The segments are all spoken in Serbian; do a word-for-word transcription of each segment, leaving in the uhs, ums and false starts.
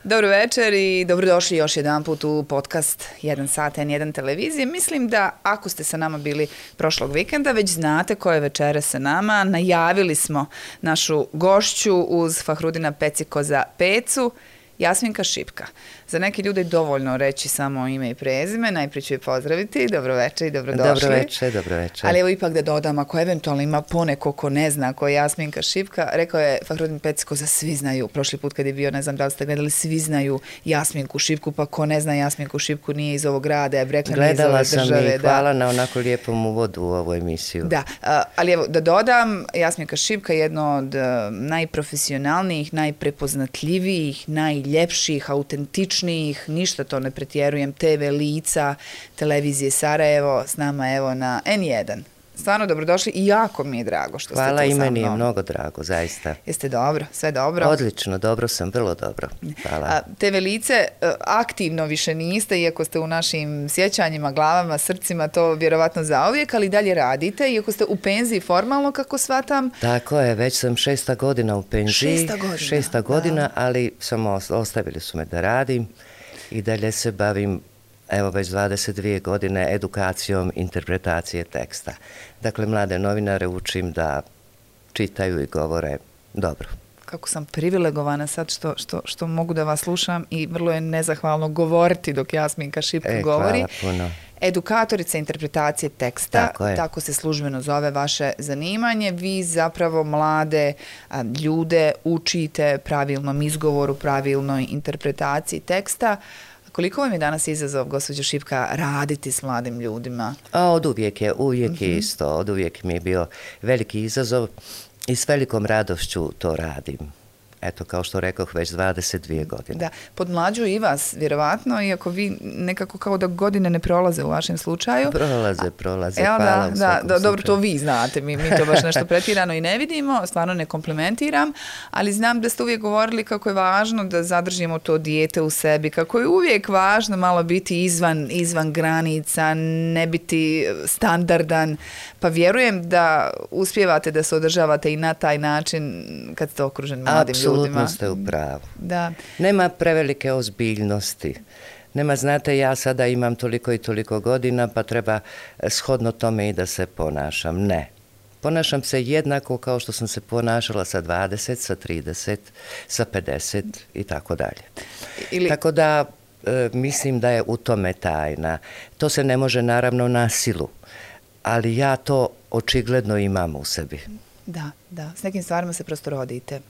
Dobro večer i dobrodošli još jedan put u podcast jedan sat en jedan televizije. Mislim da ako ste sa nama bili prošlog vikenda, već znate ko je večera sa nama. Najavili smo našu gošću uz Fahrudina Pecikoza Pecu, Jasminka Šipka. Za neke ljude je dovoljno reći samo ime i prezime, najprije ću je pozdraviti, dobro večer i dobrodošli. Dobro večer, dobro večer. Ali evo ipak da dodam, ako eventualno ima poneko ko ne zna ko je Jasminka Šipka, rekao je Fahrudin Pecikoza, svi znaju, prošli put kad je bio, ne znam da li ste gledali, svi znaju Jasminku Šipku, pa ko ne zna Jasminku Šipku nije iz ovog grada, je rekla nije iz ove države. Gledala sam i hvala da. na onako lijepom uvodu u ovu emisiju. Da, ali evo da dodam, Jasminka Šipka je jedno od najprofesionalnijih, najprepoznatljivijih, najljepših, autentičnijih, ništa to ne pretjerujem, te ve lica televizije Sarajevo s nama evo na en jedan. Stvarno dobrodošli i jako mi je drago što Hvala, ste tu sa mnom. Hvala, i meni je mnogo drago, zaista. Jeste dobro, sve dobro? Odlično, dobro sam, vrlo dobro. Hvala. A, te ve lice aktivno više niste, iako ste u našim sjećanjima, glavama, srcima, to vjerovatno zauvijek, ali dalje radite, iako ste u penziji formalno, kako shvatam. Tako je, već sam šesta godina u penziji. Šesta godina. Šesta godina, ali samo ostavili su me da radim i dalje se bavim, evo već dvadeset dvije godine, edukacijom interpretacije teksta. Dakle, mlade novinare učim da čitaju i govore dobro. Kako sam privilegovana sad što, što, što mogu da vas slušam i vrlo je nezahvalno govoriti dok Jasminka Šipka e, govori. Hvala puno. Edukatorica interpretacije teksta, tako, tako se službeno zove vaše zanimanje. Vi zapravo mlade a, ljude učite pravilnom izgovoru, pravilnoj interpretaciji teksta. Koliko vam je danas izazov, gospođo Šipka, raditi s mladim ljudima? A od uvijek je, uvijek uh-huh. je isto. Od uvijek mi je bio veliki izazov i s velikom radošću to radim. Eto, kao što rekoh, već dvadeset dvije godine. Da, podmlađuju i vas, vjerovatno, iako vi nekako kao da godine ne prolaze u vašem slučaju. Prolaze, prolaze, Evo, hvala. Da, da, da, dobro, to vi znate, mi, mi to baš nešto pretjerano i ne vidimo, stvarno ne komplimentiram, ali znam da ste uvijek govorili kako je važno da zadržimo to dijete u sebi, kako je uvijek važno malo biti izvan, izvan granica, ne biti standardan, pa vjerujem da uspijevate da se održavate i na taj način kad ste okruženi mladim ljudima. Apsolutno ste u pravu. Da. Nema prevelike ozbiljnosti. Nema, znate, ja sada imam toliko i toliko godina, pa treba shodno tome i da se ponašam. Ne. Ponašam se jednako kao što sam se ponašala sa dvadeset, sa trideset, sa pedeset i tako dalje. Ili... Tako da e, mislim da je u tome tajna. To se ne može naravno na silu, ali ja to očigledno imam u sebi. Da, da. S nekim stvarima se prosto rodite.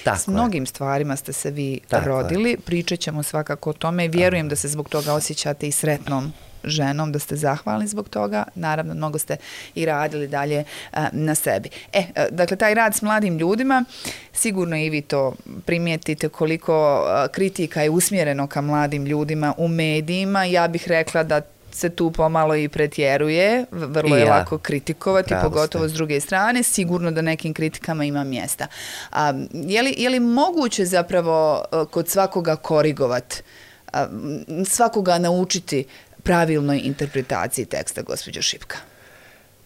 Tako S mnogim je. stvarima ste se vi Tako rodili, je. pričat ćemo svakako o tome i vjerujem da se zbog toga osjećate i sretnom ženom, da ste zahvalni zbog toga. Naravno, mnogo ste i radili dalje a, na sebi. E, a, dakle, taj rad s mladim ljudima, sigurno i vi to primijetite koliko a, kritika je usmjereno ka mladim ljudima u medijima. Ja bih rekla da se tu pomalo i pretjeruje, vrlo je ja. lako kritikovati, Pravo pogotovo ste. s druge strane, sigurno da nekim kritikama ima mjesta. A, je, li, je li moguće zapravo kod svakoga korigovati, svakoga naučiti pravilnoj interpretaciji teksta, gospođo Šipka?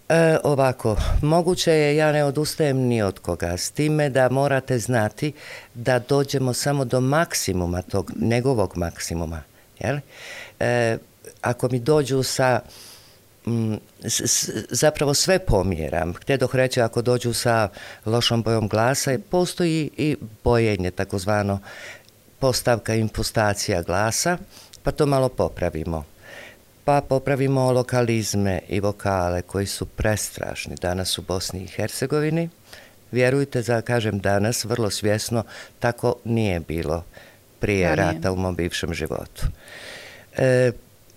E, ovako, moguće je, ja ne odustajem ni od koga, s time da morate znati da dođemo samo do maksimuma tog, njegovog maksimuma, jel? E, ako mi dođu sa, m, s, s, zapravo sve pomjeram, htjedoh reći ako dođu sa lošom bojom glasa, postoji i bojenje, takozvano postavka, impostacija glasa, pa to malo popravimo. Pa popravimo lokalizme i vokale koji su prestrašni danas u Bosni i Hercegovini. Vjerujte, za kažem danas, vrlo svjesno, tako nije bilo prije rata u mom bivšem životu. E,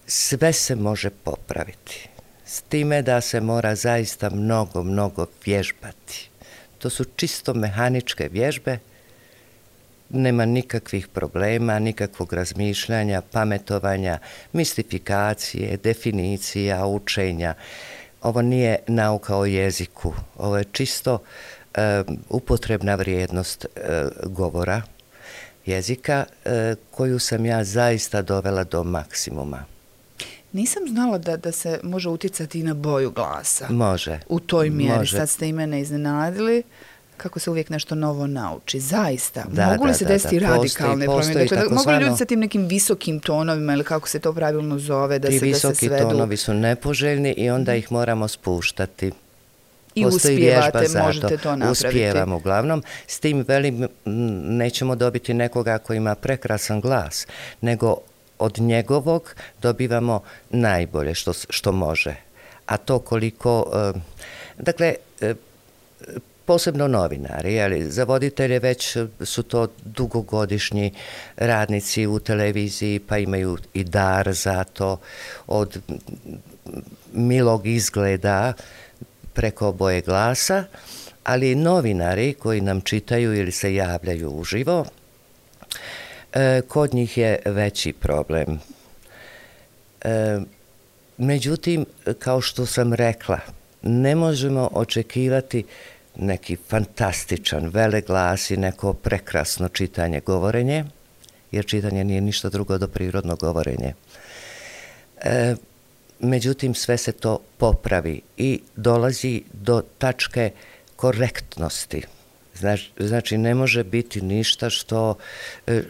sve se može popraviti, s time da se mora zaista mnogo, mnogo vježbati. To su čisto mehaničke vježbe, nema nikakvih problema, nikakvog razmišljanja, pametovanja, mistifikacije, definicija, učenja. Ovo nije nauka o jeziku, ovo je čisto e, upotrebna vrijednost e, govora, jezika, e, koju sam ja zaista dovela do maksimuma. Nisam znala da, da se može utjecati i na boju glasa. Može. U toj mjeri. Može. Sad ste i mene iznenadili. kako se uvijek nešto novo nauči. Zaista. Da, mogu li da, se da, desiti da, radikalne postoji, promjene? postoji Dakle, mogu li takozvano, ljudi sa tim nekim visokim tonovima ili kako se to pravilno zove, da ti se, da se visoki svedu? tonovi su nepoželjni i onda ih moramo spuštati. I Postoji uspijevate, vježba možete zato. to napraviti. Uspijevamo uglavnom. S tim velim, nećemo dobiti nekoga koji ima prekrasan glas, nego od njegovog dobivamo najbolje što, što može. A to koliko, dakle, posebno novinari, ali za voditelje već su to dugogodišnji radnici u televiziji, pa imaju i dar za to, od milog izgleda preko boje glasa, ali novinari koji nam čitaju ili se javljaju uživo, kod njih je veći problem. Međutim, kao što sam rekla, ne možemo očekivati neki fantastičan veleglas i neko prekrasno čitanje, govorenje, jer čitanje nije ništa drugo do prirodno govorenje. E, međutim, sve se to popravi i dolazi do tačke korektnosti. Znači, znači ne može biti ništa što,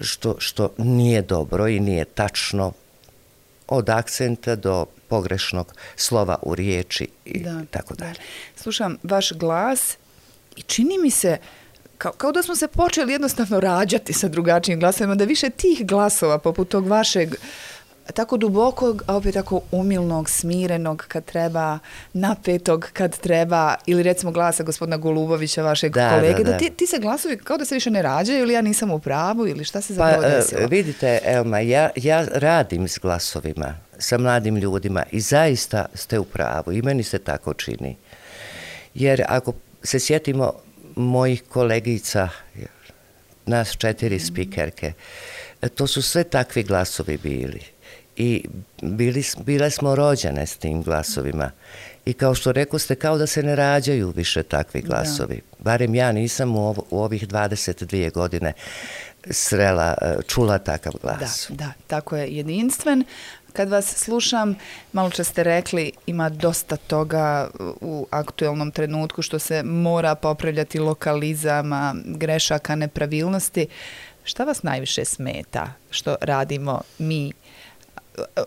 što, što nije dobro i nije tačno, od akcenta do pogrešnog slova u riječi i da, tako dalje. Slušam vaš glas i čini mi se kao, kao da smo se počeli jednostavno rađati sa drugačijim glasovima, da više tih glasova poput tog vašeg tako dubokog, a opet tako umilnog, smirenog kad treba, napetog kad treba, ili recimo glasa gospodina Golubovića, vašeg da, kolege, da, da. da ti, ti se glasovi kao da se više ne rađaju ili ja nisam u pravu ili šta se zapravo pa, desilo? Vidite, Elma, ja, ja radim s glasovima, sa mladim ljudima i zaista ste u pravu i meni se tako čini. Jer ako se sjetimo mojih kolegica, nas četiri spikerke, to su sve takvi glasovi bili. I bili, bile smo rođene s tim glasovima. I kao što rekao ste, kao da se ne rađaju više takvi glasovi. Da. Barem ja nisam u, ovo, u ovih dvadeset dvije godine srela, čula takav glas. Da, da, tako je jedinstven. Kad vas slušam, malo čas ste rekli, ima dosta toga u aktuelnom trenutku što se mora popravljati, lokalizama, grešaka, nepravilnosti. Šta vas najviše smeta što radimo mi?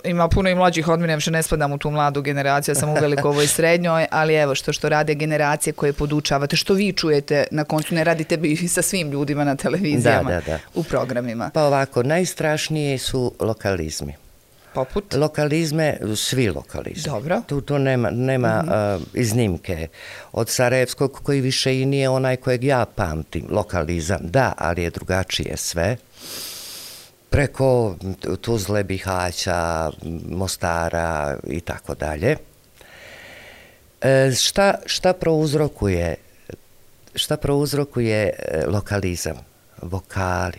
Ima puno i mlađih od mene, više ne spadam u tu mladu generaciju, ja sam u velikovoj srednjoj, ali evo što što rade generacije koje podučavate, što vi čujete, na koncu ne radite bi sa svim ljudima na televizijama, da, da, da. u programima. Pa ovako, najstrašnije su lokalizmi. Poput? Lokalizme, svi lokalizmi. Dobro. Tu, tu nema, nema mm-hmm. uh, iznimke. Od Sarajevskog koji više i nije onaj kojeg ja pamtim, lokalizam, da, ali je drugačije sve. Preko Tuzle, Bihaća, Mostara i tako dalje. Šta, šta prouzrokuje, šta prouzrokuje lokalizam? Vokali.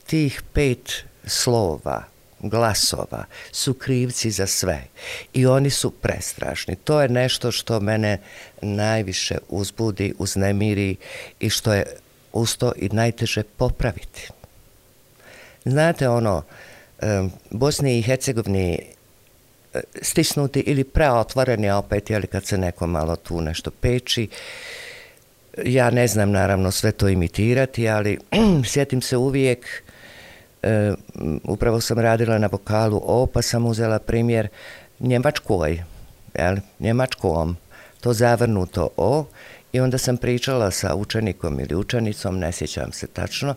Tih pet slova, glasova su krivci za sve i oni su prestrašni. To je nešto što mene najviše uzbudi, uznemiri i što je usto i najteže popraviti. Znate ono, Bosni i Hercegovini stisnuti ili preotvoreni opet, jeli kad se neko malo tu nešto peči. Ja ne znam naravno sve to imitirati, ali sjetim se uvijek, upravo sam radila na vokalu O, pa sam uzela primjer Njemačkoj, jeli, Njemačkom, to zavrnuto O, i onda sam pričala sa učenikom ili učenicom, ne sjećam se tačno,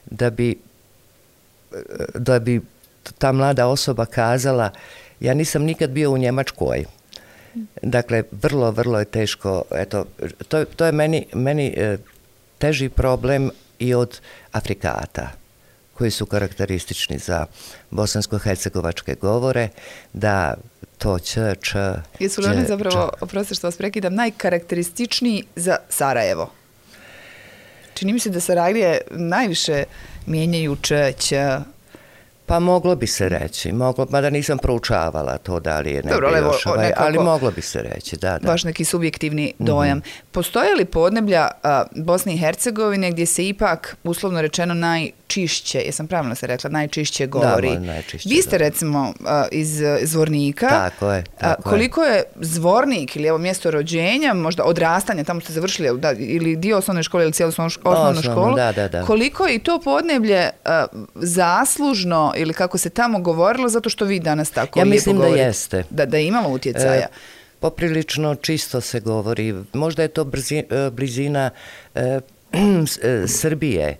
da bi da bi ta mlada osoba kazala, ja nisam nikad bio u Njemačkoj. Dakle, vrlo, vrlo je teško. Eto, to, to je meni, meni teži problem i od Afrikata, koji su karakteristični za bosansko-hercegovačke govore, da to č, č, jesu li oni zapravo, oprosti što vas prekidam, najkarakterističniji za Sarajevo? Čini mi se da Sarajlije najviše mijenjaju č, ć. Pa moglo bi se reći, moglo, mada nisam proučavala to da li je ne Dobro, bi evo, još, ovaj, nekako, ali moglo bi se reći, da, da. Baš neki subjektivni dojam. Mm-hmm. Postoje li podneblja a, Bosne i Hercegovine gdje se ipak, uslovno rečeno, naj najčišće, jesam pravilo se rekla, najčišće govori. Da, najčišće, Vi ste da. recimo uh, iz Zvornika. Tako je. Tako uh, koliko je Zvornik ili evo mjesto rođenja, možda odrastanja, tamo ste završili da, ili dio osnovne škole ili cijelu osnovnu Osnovno, školu. Da, da, da. Koliko je i to podneblje uh, zaslužno ili kako se tamo govorilo zato što vi danas tako ja lijepo mislim govorite? Da jeste. Da, da je imalo utjecaja. E, poprilično čisto se govori. Možda je to brzi, blizina e, Srbije,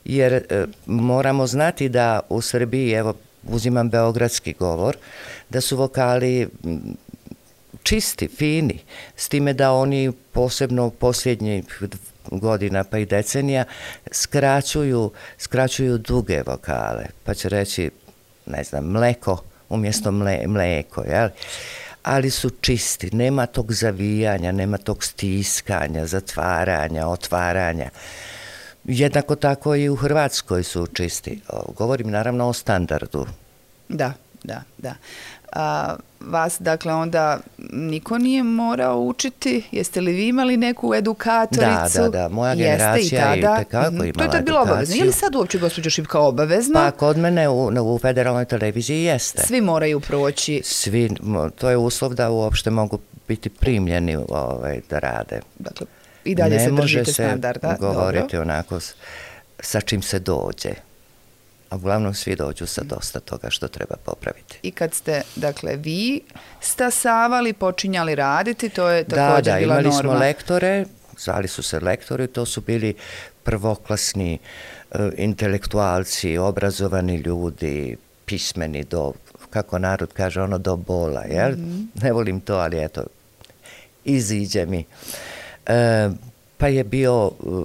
jer e, moramo znati da u Srbiji, evo uzimam beogradski govor, da su vokali čisti, fini, s time da oni posebno u posljednjih godina pa i decenija skraćuju, skraćuju duge vokale, pa će reći, ne znam, mleko umjesto mle, mleko, jel? Ali su čisti, nema tog zavijanja, nema tog stiskanja, zatvaranja, otvaranja. Jednako tako i u Hrvatskoj su čisti. Govorim naravno o standardu. Da, da, da. A, vas, dakle, onda niko nije morao učiti? Jeste li vi imali neku edukatoricu? Da, da, da. Moja generacija je i tekako imala edukaciju. To je tad bilo obavezno. Je li sad uopće, gospođo Šipka, obavezno? Pa kod mene u, u federalnoj televiziji jeste. Svi moraju proći. Svi, to je uslov da uopšte mogu biti primljeni ovaj, da rade. Dakle, i dalje ne se držite se standarda. Ne može se govoriti dobro. onako s, sa čim se dođe. A uglavnom svi dođu sa dosta toga što treba popraviti. I kad ste, dakle, vi stasavali, počinjali raditi, to je također da, da, bila imali norma. smo lektore, zvali su se lektori, to su bili prvoklasni uh, intelektualci, obrazovani ljudi, pismeni do, kako narod kaže, ono do bola, jel? Mm-hmm. Ne volim to, ali eto, iziđe mi. Uh, Pa je bio uh,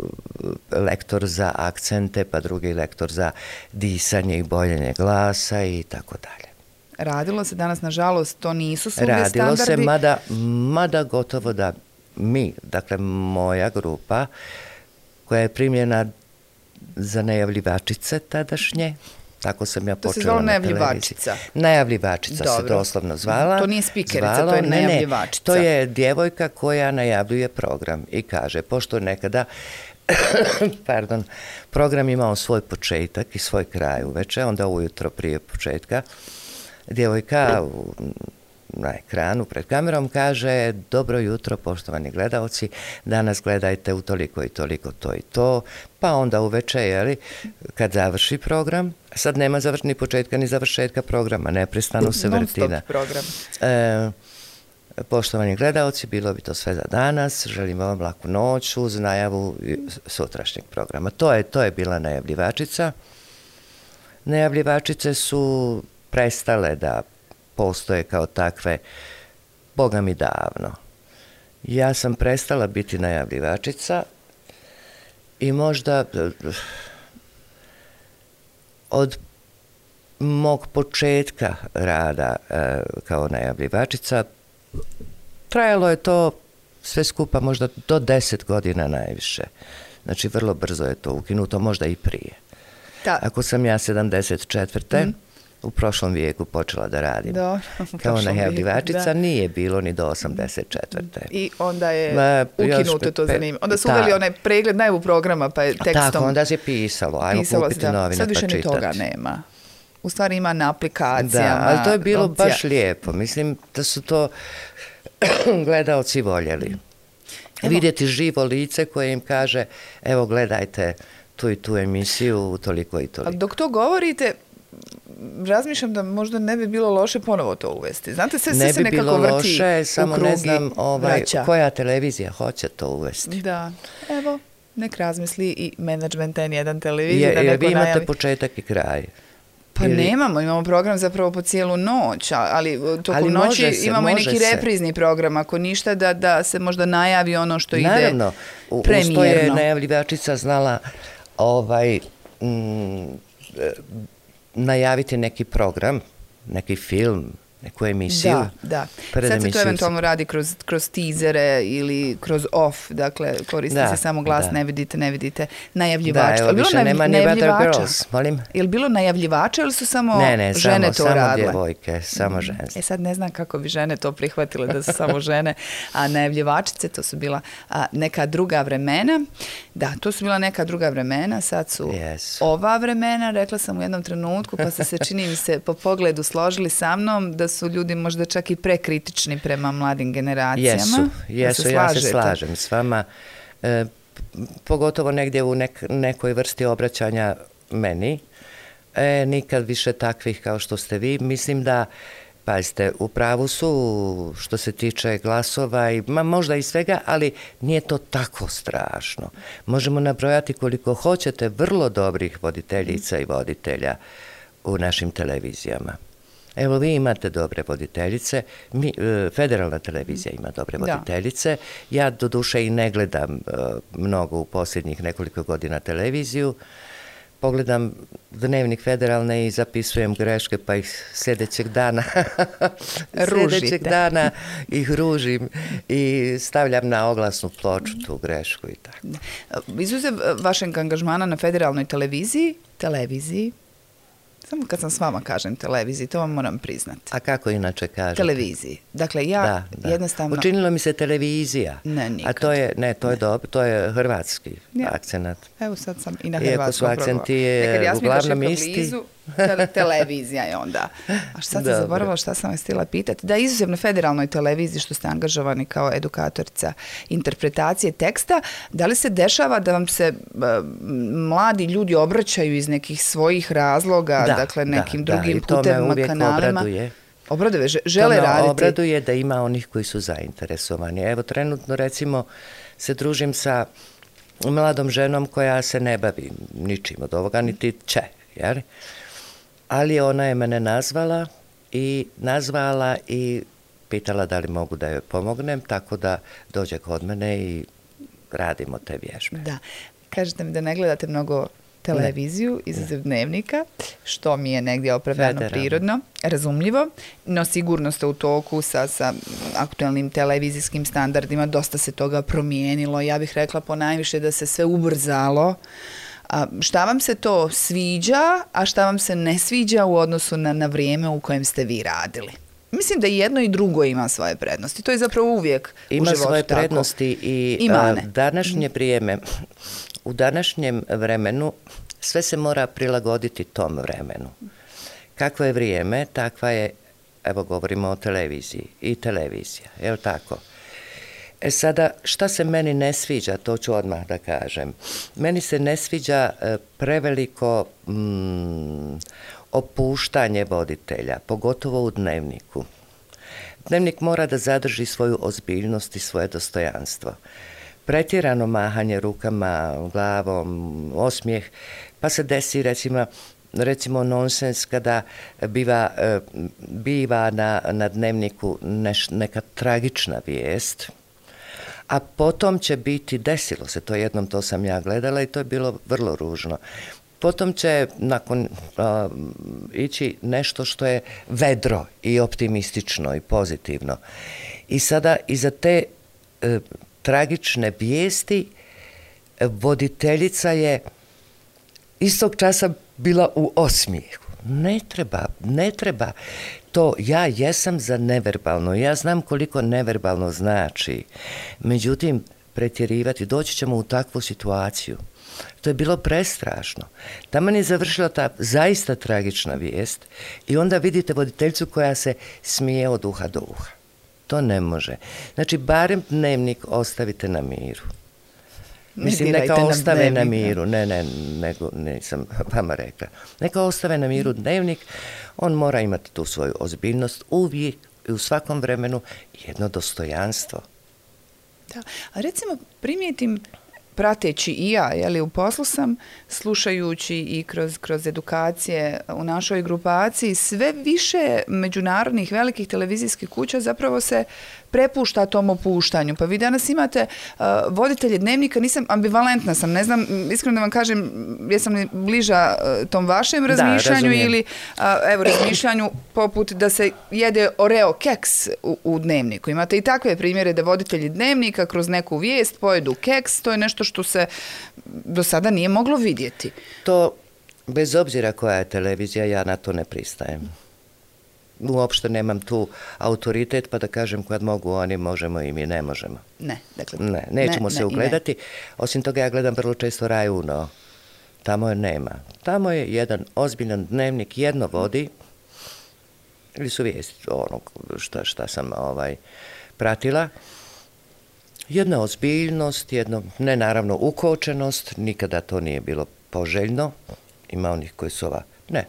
lektor za akcente, pa drugi lektor za disanje i boljenje glasa i tako dalje. Radilo se danas, nažalost, to nisu svugdje Radilo standardi. se, mada, mada gotovo da mi, dakle moja grupa, koja je primljena za najavljivačice tadašnje, tako sam ja to počela se zvalo na najavljivačica. Najavljivačica Dobro. se doslovno zvala. To nije spikerica, zvalo, to je ne, ne, najavljivačica. to je djevojka koja najavljuje program i kaže, pošto nekada pardon, program imao svoj početak i svoj kraj uveče, onda ujutro prije početka djevojka u, na ekranu pred kamerom kaže, dobro jutro poštovani gledaoci, danas gledajte u toliko i toliko to i to, pa onda uveče, jeli, kad završi program, sad nema završ, ni početka ni završetka programa, neprestano se vrti. Non-stop program. E, poštovani gledaoci, bilo bi to sve za danas, želimo vam laku noć uz najavu sutrašnjeg programa. To je, to je bila najavljivačica. Najavljivačice su prestale da postoje kao takve, Boga mi davno. Ja sam prestala biti najavljivačica i možda od mog početka rada e, kao najavljivačica trajalo je to sve skupa možda do deset godina najviše. Znači vrlo brzo je to ukinuto, možda i prije. Da. Ako sam ja sedamdeset četvrte. Mm. u prošlom vijeku počela da radim. Do, kao najavljivačica, nije bilo ni do osamdeset četvrte. I onda je Ma, ukinuto, još, to pe, zanima. Onda su uveli onaj pregled najavu programa, pa je tekstom... Tako, onda se pisalo, ajmo pisalo, kupiti da. novine Sad pa više čitati. ni toga nema. U stvari ima na aplikacijama. Da, ali to je bilo opcija. baš lijepo. Mislim da su to gledaoci voljeli. Evo. Vidjeti živo lice koje im kaže, evo gledajte tu i tu emisiju, toliko i toliko. Ali dok to govorite, razmišljam da možda ne bi bilo loše ponovo to uvesti. Znate, sve, sve se nekako vrti loše, samo u krugi ne znam ovaj, koja televizija hoće to uvesti. Da, evo, nek razmisli i Management N jedan televizije. Je, da neko vi imate najavi. početak i kraj. Pa Ili... nemamo, imamo program zapravo po cijelu noć, ali tokom ali noći se, imamo i neki se. reprizni program, ako ništa da, da se možda najavi ono što Naravno, ide premijerno. Naravno, uz to je najavljivačica znala ovaj, mm, najaviti neki program, neki film, neku emisiju. Da, da. Sad se to eventualno radi kroz, kroz teasere ili kroz off, dakle koristi da, se samo glas, da. ne vidite, ne vidite najavljivača. Da, evo više nema ni Weather Girls, molim. Je li bilo najavljivača ili su samo ne, ne, žene samo, to radile? Ne, ne, samo djevojke, samo žene. E sad ne znam kako bi žene to prihvatile da su samo žene, a najavljivačice to su bila a, neka druga vremena. Da, to su bila neka druga vremena, sad su yes. ova vremena, rekla sam u jednom trenutku, pa ste se čini mi se po pogledu složili sa mnom da su ljudi možda čak i prekritični prema mladim generacijama. Jesu, jesu, se ja se slažem s vama. E, pogotovo negdje u nek, nekoj vrsti obraćanja meni. E, nikad više takvih kao što ste vi. Mislim da, pazite, u pravu su što se tiče glasova i ma, možda i svega, ali nije to tako strašno. Možemo nabrojati koliko hoćete vrlo dobrih voditeljica i voditelja u našim televizijama. Evo, vi imate dobre voditeljice, mi, federalna televizija ima dobre voditeljice, da. Ja doduše i ne gledam uh, mnogo u posljednjih nekoliko godina televiziju, pogledam Dnevnik federalne i zapisujem greške, pa ih sljedećeg dana sljedećeg dana ih ružim i stavljam na oglasnu ploču tu grešku i tako. Izuzev vašeg angažmana na federalnoj televiziji, televiziji, samo kad sam s vama kažem televiziji, to vam moram priznati. A kako inače kažete? Televiziji. Dakle, ja da, da. jednostavno... Učinilo mi se televizija. Ne, nikad. A to je, ne, to je dobro, to je hrvatski ja. akcenat. Evo sad sam i na hrvatskom. Iako su akcenti je uglavnom isti. Blizu, te, televizija je onda. A šta sam zaboravila, šta sam vas htjela pitati? Da, izuzetno federalnoj televiziji što ste angažovani kao edukatorica interpretacije teksta, da li se dešava da vam se uh, mladi ljudi obraćaju iz nekih svojih razloga, da, dakle nekim da, drugim da, putevima, kanalima? Obraduje. Obraduje, žele to raditi. Obraduje da ima onih koji su zainteresovani. Evo, trenutno recimo se družim sa mladom ženom koja se ne bavi ničim od ovoga, niti će, jer? Ali ona je mene nazvala i nazvala i pitala da li mogu da joj pomognem, tako da dođe kod mene i radimo te vježbe. Da. Kažete mi da ne gledate mnogo televiziju, izuzev Dnevnika, što mi je negdje opravdano Federalno. Prirodno, razumljivo, no sigurno ste u toku sa, sa aktualnim televizijskim standardima, dosta se toga promijenilo, ja bih rekla ponajviše da se sve ubrzalo. A šta vam se to sviđa, a šta vam se ne sviđa u odnosu na, na vrijeme u kojem ste vi radili? Mislim da jedno i drugo ima svoje prednosti. To je zapravo uvijek ima u životu svoje tako. prednosti i a, današnje vrijeme, u današnjem vremenu sve se mora prilagoditi tom vremenu. Kakvo je vrijeme, takva je, evo govorimo o televiziji i televizija, je li tako? E sada, šta se meni ne sviđa, to ću odmah da kažem. Meni se ne sviđa e, preveliko mm, opuštanje voditelja, pogotovo u Dnevniku. Dnevnik mora da zadrži svoju ozbiljnost i svoje dostojanstvo. Pretjerano mahanje rukama, glavom, osmijeh, pa se desi recimo, recimo nonsens kada biva, e, biva na, na Dnevniku neš, neka tragična vijest, a potom će biti, desilo se to jednom, to sam ja gledala i to je bilo vrlo ružno. Potom će nakon uh, ići nešto što je vedro i optimistično i pozitivno. I sada iza te uh, tragične vijesti voditeljica je istog časa bila u osmijehu. Ne treba, ne treba. To ja jesam za neverbalno, ja znam koliko neverbalno znači. Međutim, pretjerivati, doći ćemo u takvu situaciju. To je bilo prestrašno. Taman je završila ta zaista tragična vijest i onda vidite voditeljicu koja se smije od uha do uha. To ne može. Znači, barem Dnevnik ostavite na miru. Mislim, neka ostave na miru. Ne, ne, nego nisam vama rekla. Neka ostave na miru Dnevnik. On mora imati tu svoju ozbiljnost uvijek i u svakom vremenu jedno dostojanstvo. Da, a recimo primijetim prateći i ja, jeli, u poslu sam, slušajući i kroz, kroz edukacije u našoj grupaciji, sve više međunarodnih velikih televizijskih kuća zapravo se prepušta tom opuštanju. Pa vi danas imate uh, voditelje dnevnika, nisam, ambivalentna sam, ne znam, iskreno da vam kažem, jesam li bliža uh, tom vašem razmišljanju da, ili uh, evo, razmišljanju poput da se jede Oreo keks u, u dnevniku. Imate i takve primjere da voditelji dnevnika kroz neku vijest pojedu keks, to je nešto što se do sada nije moglo vidjeti. To, bez obzira koja je televizija, ja na to ne pristajem. Uopšte nemam tu autoritet pa da kažem kad mogu oni, možemo i mi ne možemo. Ne, dakle. Ne, nećemo ne, se ne, ugledati. Ne. Osim toga ja gledam vrlo često Raj Uno. Tamo je nema. Tamo je jedan ozbiljan dnevnik, jedno vodi, ili su vijesti onog šta, šta sam ovaj, pratila. Jedna ozbiljnost, jedno, ne naravno ukočenost, nikada to nije bilo poželjno. Ima onih koji su ova, ne,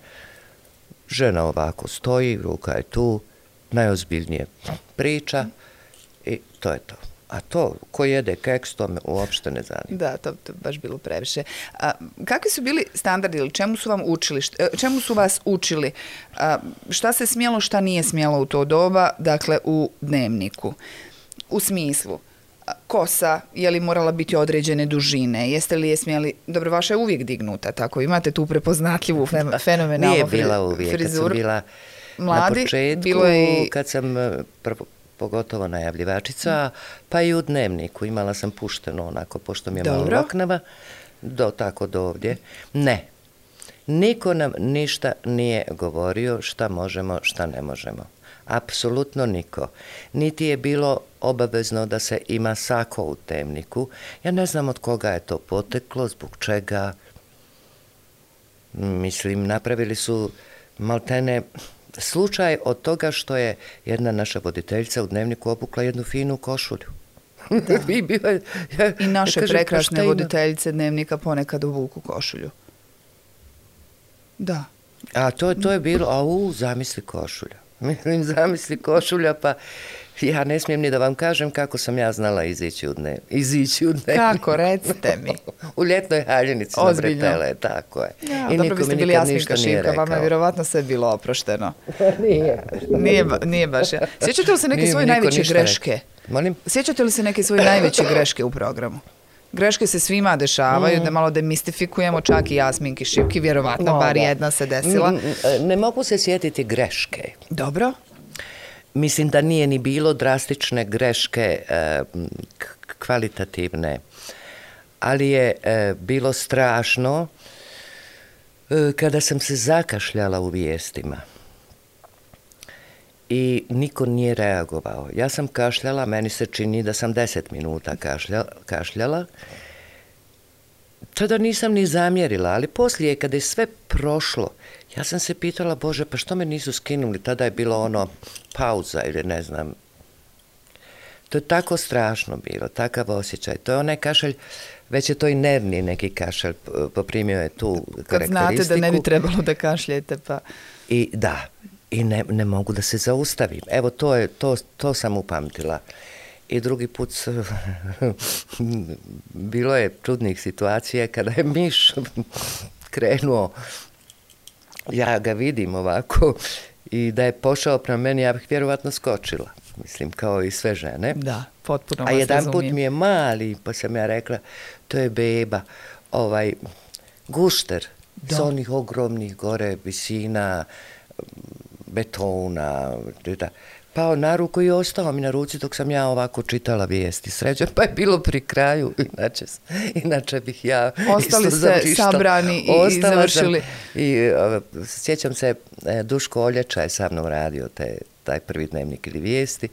žena ovako stoji, ruka je tu, najozbiljnije priča i to je to. A to, ko jede keks, to me uopšte ne zanima. Da, to je baš bilo previše. A, kakvi su bili standardi ili čemu su vam učili, čemu su vas učili? A, šta se smjelo, šta nije smjelo u to doba, dakle u dnevniku? U smislu, kosa, je li morala biti određene dužine? Jeste li je smjeli... Dobro, vaša je uvijek dignuta, tako imate tu prepoznatljivu fenomenalnu Nije bila uvijek, frizuru. Kad sam bila Mladi, na početku, bilo je... kad sam prvo, pogotovo najavljivačica, pa i u dnevniku imala sam pušteno onako, pošto mi je malo loknava, do, tako do ovdje. Ne, niko nam ništa nije govorio šta možemo, šta ne možemo. Apsolutno niko. Niti je bilo obavezno da se ima sako u dnevniku. Ja ne znam od koga je to poteklo, zbog čega. Mislim, napravili su maltene slučaj od toga što je jedna naša voditeljica u dnevniku obukla jednu finu košulju. I, bila, ja, I naše kažem, prekrasne voditeljice dnevnika ponekad obuku košulju. Da. A to, to je bilo, a u, zamisli košulja. Mislim, zamisli košulja, pa ja ne smijem ni da vam kažem kako sam ja znala izići u dnevnik. Izići u dnevnik. Kako, recite mi. U ljetnoj haljinici na Bretele, tako je. Ja, I dobro, vi ste bili Jasminka Šivka, vama je vjerovatno sve bilo oprošteno. nije. nije. Nije baš ja. Sjećate li se neke nije svoje najveće greške? Molim? Sjećate li se neke svoje najveće greške u programu? Greške se svima dešavaju, mm. da malo demistifikujemo, čak i Jasminki Šivki, vjerovatno, no, bar da. Jedna se desila. Ne mogu se sjetiti greške. Dobro. Mislim da nije ni bilo drastične greške e, kvalitativne, ali je e, bilo strašno e, kada sam se zakašljala u vijestima. I niko nije reagovao. Ja sam kašljala, meni se čini da sam deset minuta kašljala, kašljala. Tada nisam ni zamjerila, ali poslije kada je sve prošlo, ja sam se pitala, Bože, pa što me nisu skinuli? Tada je bilo ono pauza ili ne znam. To je tako strašno bilo, takav osjećaj. To je onaj kašalj, već je to i nervni neki kašalj, poprimio je tu karakteristiku. Kad znate da ne bi trebalo da kašljete, pa... I da, i ne, ne mogu da se zaustavim. Evo, to, je, to, to sam upamtila. I drugi put bilo je čudnih situacija kada je miš krenuo, ja ga vidim ovako, i da je pošao prema meni, ja bih vjerovatno skočila. Mislim, kao i sve žene. Da, potpuno vas razumijem. A jedan razumijem. put mi je mali, pa sam ja rekla, to je beba, ovaj, gušter, s onih ogromnih gore visina, betona, da, pao na ruku i ostao mi na ruci dok sam ja ovako čitala vijesti. Sređen, pa je bilo pri kraju, inače, inače bih ja... Ostali ste sabrani i, i završili. Sam, I uh, sjećam se, Duško Oljača je sa mnom radio te, taj prvi dnevnik ili vijesti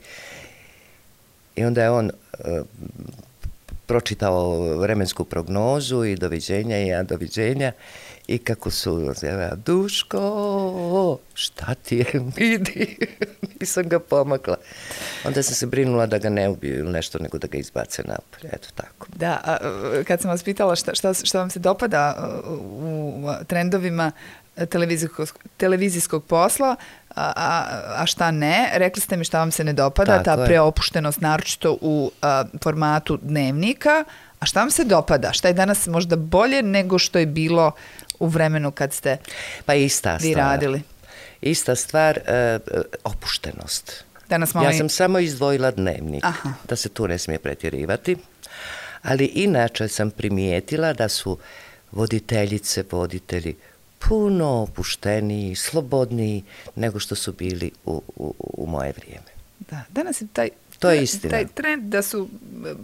i onda je on uh, pročitao vremensku prognozu i doviđenja i ja doviđenja. I kako su, Duško, šta ti je, vidi, nisam ga pomakla. Onda sam se brinula da ga ne ubiju ili nešto, nego da ga izbace napolje, eto tako. Da, a kad sam vas pitala šta, šta, šta vam se dopada u trendovima televizijskog, televizijskog posla, a, a, a šta ne, rekli ste mi šta vam se ne dopada, tako ta je. Preopuštenost, naročito u a, formatu dnevnika, A šta vam se dopada? Šta je danas možda bolje nego što je bilo u vremenu kad ste pa ista vi stvar. radili? Ista stvar, e, opuštenost. Danas malo ja i... sam samo izdvojila dnevnik, Aha. da se tu ne smije pretjerivati, ali inače sam primijetila da su voditeljice, voditelji puno opušteniji, slobodniji nego što su bili u, u, u moje vrijeme. Da, danas je taj, to je istina. Taj trend da su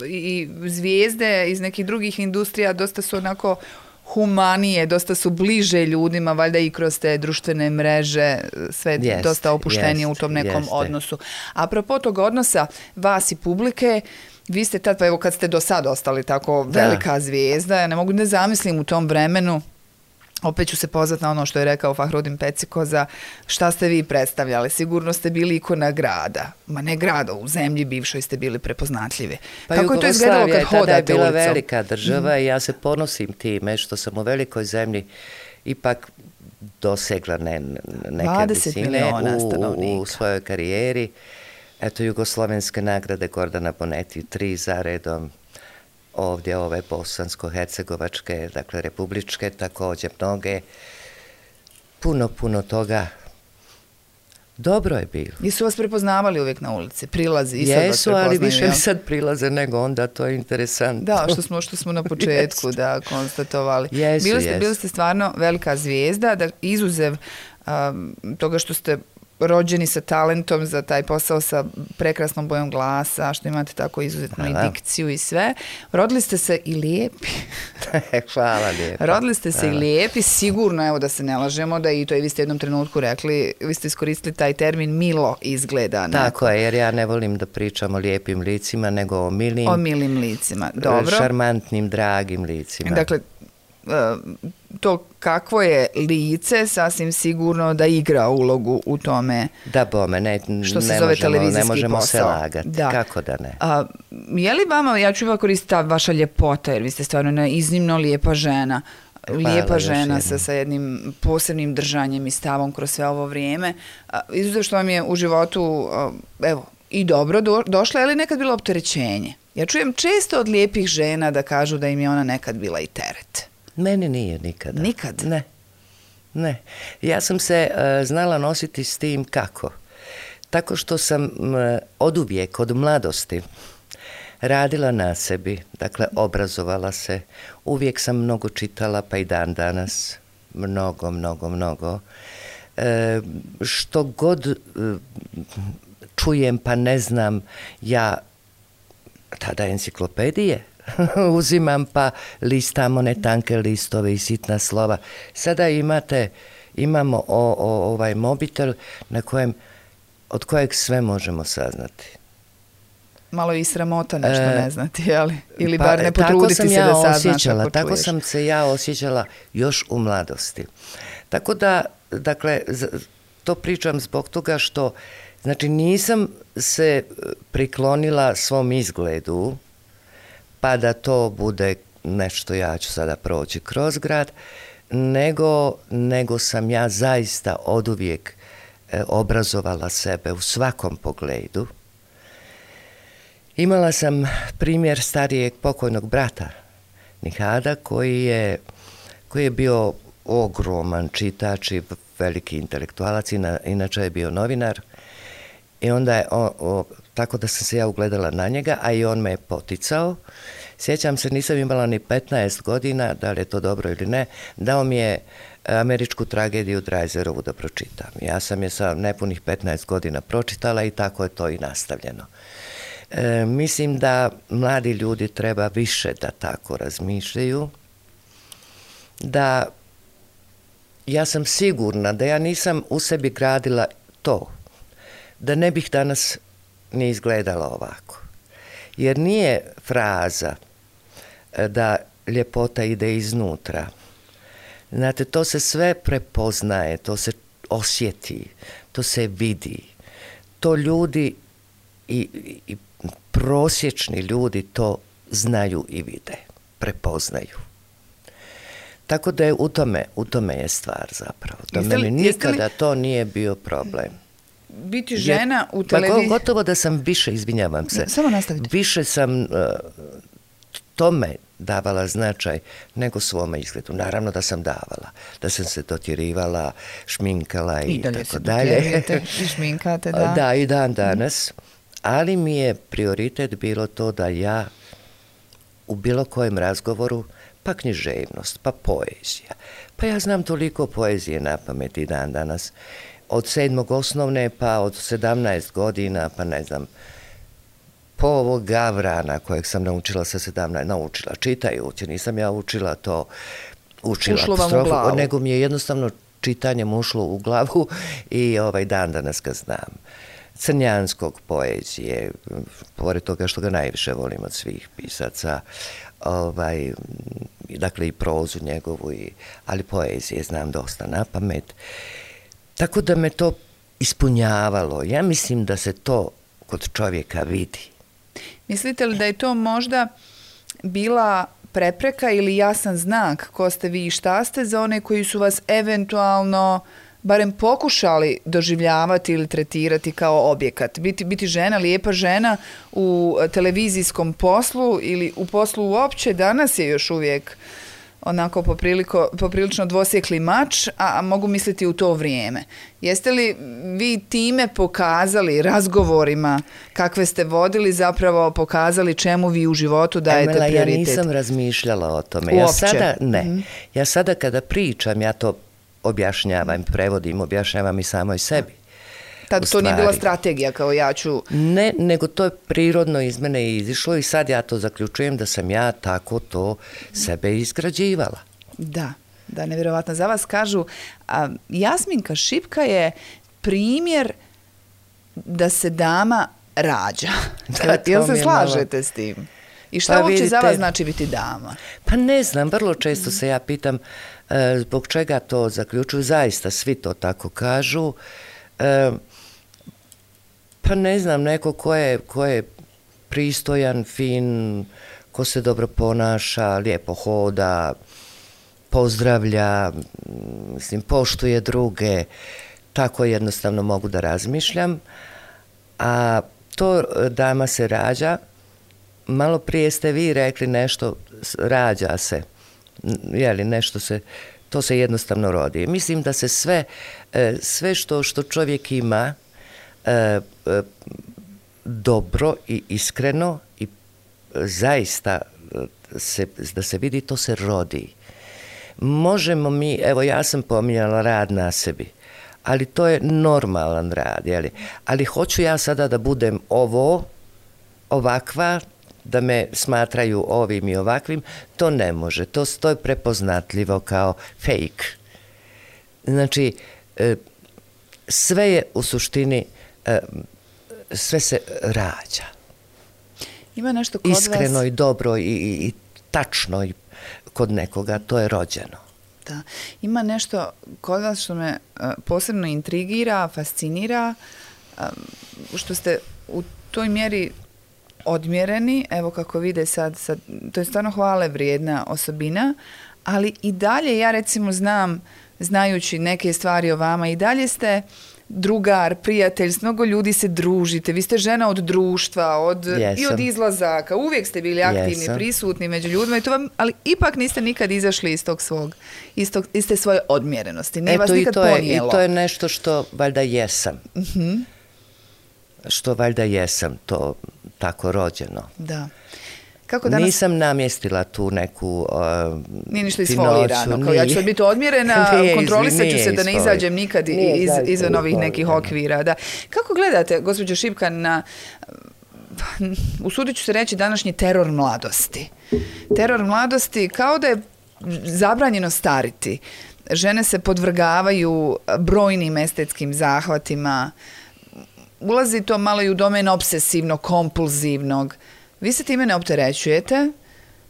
i zvijezde iz nekih drugih industrija dosta su onako humanije, dosta su bliže ljudima, valjda i kroz te društvene mreže, sve jest, dosta opuštenije jest, u tom nekom jeste. odnosu. Apropo tog odnosa vas i publike, vi ste tad, pa evo kad ste do sad ostali tako da. velika zvijezda, ja ne mogu ne zamislim u tom vremenu, opet ću se pozvati na ono što je rekao Fahrudin Pecikoza, šta ste vi predstavljali? Sigurno ste bili ikona grada. Ma ne grada, u zemlji bivšoj ste bili prepoznatljivi. Pa kako je to izgledalo kad hodate ulicom? Tada je bila velika država mm. i ja se ponosim time što sam u velikoj zemlji ipak dosegla ne, neke visine u, u svojoj karijeri. Eto, jugoslovenske nagrade Gordana Bonetti, tri za redom. Ovdje ove bosansko-hercegovačke, dakle republičke, također mnoge, puno, puno toga. Dobro je bilo. I su vas prepoznavali uvijek na ulici, prilazi i sad vas Jesu, ali više mi sad prilaze nego onda, to je interesantno. Da, što smo, što smo na početku da konstatovali. Jesu, bili, ste, jesu. bili ste stvarno velika zvijezda, da izuzev um, toga što ste rođeni sa talentom za taj posao, sa prekrasnom bojom glasa, što imate tako izuzetnu i dikciju i sve. Rodili ste se i lijepi. Hvala lijepo. Rodili ste se Hvala. i lijepi, sigurno, evo da se ne lažemo, da i to i vi ste jednom trenutku rekli, vi ste iskoristili taj termin milo izgleda. Tako je, jer ja ne volim da pričam o lijepim licima, nego o milim, o milim licima. Dobro. Šarmantnim, dragim licima. Dakle, to kakvo je lice sasvim sigurno da igra ulogu u tome da bome, ne, što se ne zove možemo, televizijski ne možemo posao. se lagati, da. Kako da ne. A, je li vama, ja ću uvijek koristiti ta vaša ljepota, jer vi ste stvarno jedna iznimno lijepa žena, Hvala, lijepa žena sa, sa jednim posebnim držanjem i stavom kroz sve ovo vrijeme. A, izuzev što vam je u životu a, evo, i dobro do, došla, je li nekad bilo opterećenje? Ja čujem često od lijepih žena da kažu da im je ona nekad bila i teret. Meni nije nikada. Nikad? Ne. Ne. Ja sam se uh, znala nositi s tim kako? Tako što sam uh, oduvijek, od mladosti, radila na sebi, dakle obrazovala se. Uvijek sam mnogo čitala, pa i dan danas. Mnogo, mnogo, mnogo. Uh, što god uh, čujem, pa ne znam, ja tada enciklopedije uzimam pa listam one tanke listove i sitna slova. Sada imate, imamo o, o, ovaj mobitel na kojem, od kojeg sve možemo saznati. Malo i sramota nešto e, ne znati, ali ili pa, bar ne potruditi se ja da saznaš ako čuješ. Tako sam se ja osjećala još u mladosti. Tako da, dakle, to pričam zbog toga što, znači, nisam se priklonila svom izgledu, pa da to bude nešto, ja ću sada proći kroz grad, nego, nego sam ja zaista oduvijek e, obrazovala sebe u svakom pogledu. Imala sam primjer starijeg pokojnog brata Nihada, koji je, koji je bio ogroman čitač i veliki intelektualac, inače je bio novinar. I onda je, o, o, tako da sam se ja ugledala na njega, a i on me je poticao. Sjećam se, nisam imala ni petnaest godina, da li je to dobro ili ne, dao mi je američku tragediju Dreiserovu da pročitam. Ja sam je sa nepunih petnaest godina pročitala i tako je to i nastavljeno. E, mislim da mladi ljudi treba više da tako razmišljaju, da ja sam sigurna da ja nisam u sebi gradila to, da ne bih danas ni izgledala ovako. Jer nije fraza da ljepota ide iznutra. Znate, to se sve prepoznaje, to se osjeti, to se vidi. To ljudi i, i prosječni ljudi to znaju i vide, prepoznaju. Tako da je u tome, u tome je stvar zapravo. Da jeste li, meni nikada li... to nije bio problem. Biti žena u televiziji... Gotovo da sam više, izvinjavam se, samo nastavite. Više sam uh, tome davala značaj nego svome izgledu. Naravno da sam davala, da sam se dotjerivala, šminkala i, I dalje tako dalje. I dalje se i šminkate, da. Da, i dan danas. Ali mi je prioritet bilo to da ja u bilo kojem razgovoru, pa književnost, pa poezija. Pa ja znam toliko poezije na pamet i dan danas. Od sedmog osnovne, pa od sedamnaest godina, pa ne znam, po ovog Gavrana kojeg sam naučila sa sedamnaest, naučila, čitajući, nisam ja učila to, učila ušlo vam u glavu. Nego mi je jednostavno čitanjem ušlo u glavu i ovaj dan danas ga znam. Crnjanskog poezije, pored toga što ga najviše volim od svih pisaca, ovaj, dakle i prozu njegovu, i, ali poezije znam dosta na pamet. Tako da me to ispunjavalo. Ja mislim da se to kod čovjeka vidi. Mislite li da je to možda bila prepreka ili jasan znak ko ste vi i šta ste za one koji su vas eventualno barem pokušali doživljavati ili tretirati kao objekat? Biti, biti žena, lijepa žena u televizijskom poslu ili u poslu uopće danas je još uvijek onako popriliko, poprilično dvosjekli mač, a mogu misliti u to vrijeme. Jeste li vi time pokazali razgovorima kakve ste vodili, zapravo pokazali čemu vi u životu dajete Emela, prioritet? Ja nisam razmišljala o tome. Uopće? Ja sada ne. Mm-hmm. Ja sada kada pričam, ja to objašnjavam, prevodim, objašnjavam i samoj sebi. Tad to nije bila strategija kao ja ću... Ne, nego to je prirodno iz mene izišlo i sad ja to zaključujem da sam ja tako to sebe izgrađivala. Da, da, nevjerovatno. Za vas kažu, a, Jasminka Šipka je primjer da se dama rađa. Da, jel se slažete malo s tim? I šta pa uopće vidite, za vas znači biti dama? Pa ne znam, vrlo često se ja pitam e, zbog čega to zaključuju, zaista svi to tako kažu. E, pa ne znam, neko ko je, ko je pristojan, fin, ko se dobro ponaša, lijepo hoda, pozdravlja, mislim, poštuje druge, tako jednostavno mogu da razmišljam. A to dama se rađa, malo prije ste vi rekli nešto, rađa se, jeli, nešto se, to se jednostavno rodi. Mislim da se sve, sve što, što čovjek ima, dobro i iskreno i zaista se, da se vidi, to se rodi. Možemo mi, evo ja sam pominjala rad na sebi, ali to je normalan rad, jeli? Ali hoću ja sada da budem ovo, ovakva, da me smatraju ovim i ovakvim, to ne može. To, to je prepoznatljivo kao fake. Znači, sve je u suštini, sve se rađa. Ima nešto kod vas... Iskreno i dobro i, i, i tačno i kod nekoga, to je rođeno. Da. Ima nešto kod vas što me uh, posebno intrigira, fascinira, um, što ste u toj mjeri odmjereni, evo kako vide sad, sad, to je stvarno hvale vrijedna osobina, ali i dalje ja recimo znam, znajući neke stvari o vama, i dalje ste drugar, prijatelj, s mnogo ljudi se družite, vi ste žena od društva, od, i od izlazaka, uvijek ste bili aktivni, Jesam. prisutni među ljudima, i to vam, ali ipak niste nikad izašli iz tog svog, iz, tog, iz te svoje odmjerenosti, nije vas nikad ponijelo. Je, I to je nešto što valjda jesam. Uh-huh. Što valjda jesam, to tako rođeno. Da. Kako danas... Nisam namjestila tu neku uh, Nije ništa isfolirano, kao ja ću sad biti odmjerena, kontrolisat ću se da ne izađem nikad iz, izvan ovih nekih okvira. Da. Kako gledate, gospođo Šipka, na, usudit ću se reći, današnji teror mladosti? Teror mladosti kao da je zabranjeno stariti. Žene se podvrgavaju brojnim estetskim zahvatima, ulazi to malo i u domen obsesivnog, kompulzivnog. Vi se time ne opterećujete?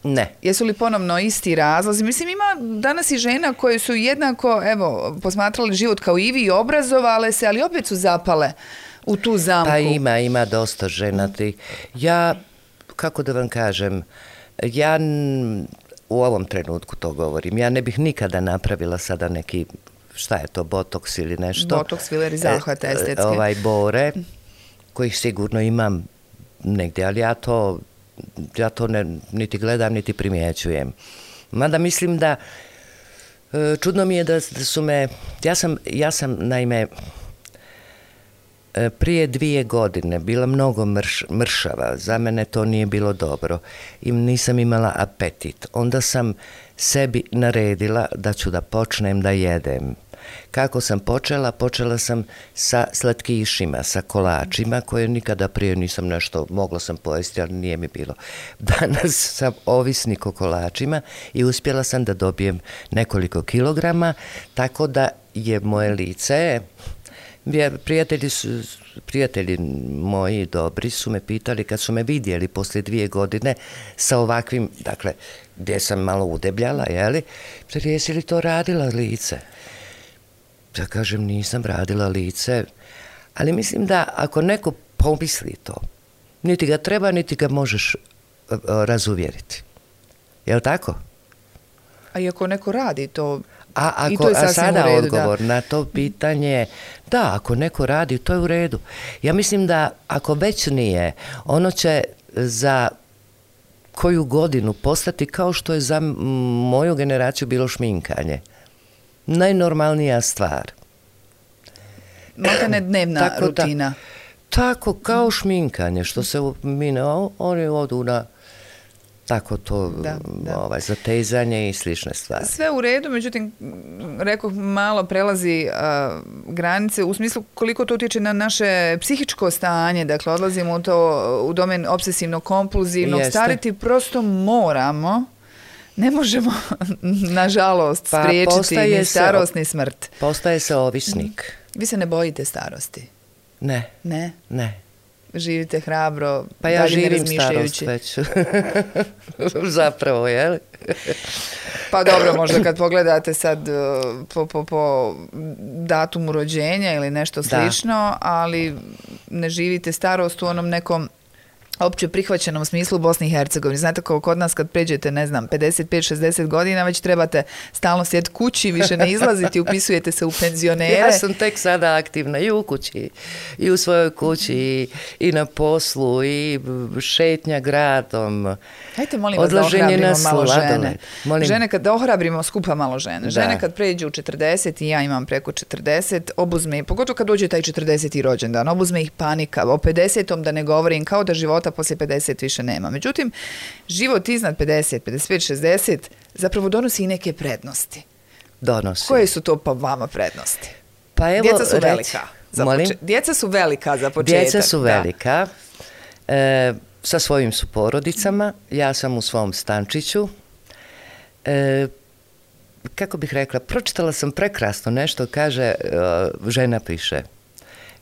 Ne. Jesu li ponovno isti razlozi? Mislim, ima danas i žena koje su jednako, evo, posmatrali život kao i vi, obrazovale se, ali opet su zapale u tu zamku. Pa ima, ima dosta žena. Ti. Ja, kako da vam kažem, ja u ovom trenutku to govorim, ja ne bih nikada napravila sada neki, šta je to, botoks ili nešto. Botoks, fileri, zahvate estetske. Ovaj, bore, kojih sigurno imam negdje, ali ja to ja to ne, niti gledam, niti primjećujem. Mada mislim da e, čudno mi je da, da su me, ja sam, ja sam naime e, prije dvije godine bila mnogo mrš, mršava, za mene to nije bilo dobro i nisam imala apetit. Onda sam sebi naredila da ću da počnem da jedem. Kako sam počela? Počela sam sa slatkišima, sa kolačima, koje nikada prije nisam nešto, mogla sam pojesti, ali nije mi bilo. Danas sam ovisnik o kolačima i uspjela sam da dobijem nekoliko kilograma, tako da je moje lice, prijatelji, su, prijatelji moji dobri su me pitali kad su me vidjeli poslije dvije godine sa ovakvim, dakle, gdje sam malo udebljala, jeli, jesi li to radila lice? Ja kažem, nisam radila lice, ali mislim da ako neko pomisli to, niti ga treba, niti ga možeš uh, razuvjeriti. Je li tako? A i ako neko radi to, a, ako, i to je a sada u redu, odgovor da. na to pitanje, da, ako neko radi, to je u redu. Ja mislim da ako već nije, ono će za koju godinu postati kao što je za moju generaciju bilo šminkanje. Najnormalnija stvar. Maltene dnevna tako rutina. Da, tako kao šminkanje, što se mine, oni odu na tako to da, da. Ovaj, zatezanje i slične stvari. Sve u redu, međutim, rekoh, malo prelazi uh, granice u smislu koliko to utječe na naše psihičko stanje, dakle odlazimo u to u domen obsesivno-kompulzivnog, stariti prosto moramo. Ne možemo, nažalost, pa spriječiti ni starost, ni smrt. Postaje se ovisnik. Vi se ne bojite starosti? Ne. Ne? Ne. Živite hrabro, pa ja živim starost već. Zapravo, je li? Pa dobro, možda kad pogledate sad po, po, po datumu rođenja ili nešto slično, da. Ali ne živite starost u onom nekom opće prihvaćenom smislu u Bosni i Hercegovini. Znate kako kod nas kad pređete, ne znam, pedeset pet šezdeset godina, već trebate stalno sjediti kući, više ne izlaziti, upisujete se u penzionere. Ja sam tek sada aktivna i u kući, i u svojoj kući, i, i na poslu, i šetnja gradom. Hajte, molim vas, da ohrabrimo malo žene. Molim. Žene kad, da ohrabrimo skupa malo žene. Žene da. Kad pređu u četrdeset, i ja imam preko četrdeset, obuzme, pogotovo kad dođe taj četrdeseti rođendan, obuzme ih panika. O pedesetom da ne govorim, kao da života poslije pedeset više nema. Međutim, život iznad pedeset, pedeset pet, šezdeset zapravo donosi i neke prednosti. Donosi. Koje su to pa vama prednosti? Pa evo, djeca su reci, velika. Za poče- djeca su velika za početak. Djeca su velika. Da. E, sa svojim su porodicama. Ja sam u svom stančiću. E, kako bih rekla, pročitala sam prekrasno nešto, kaže, žena piše.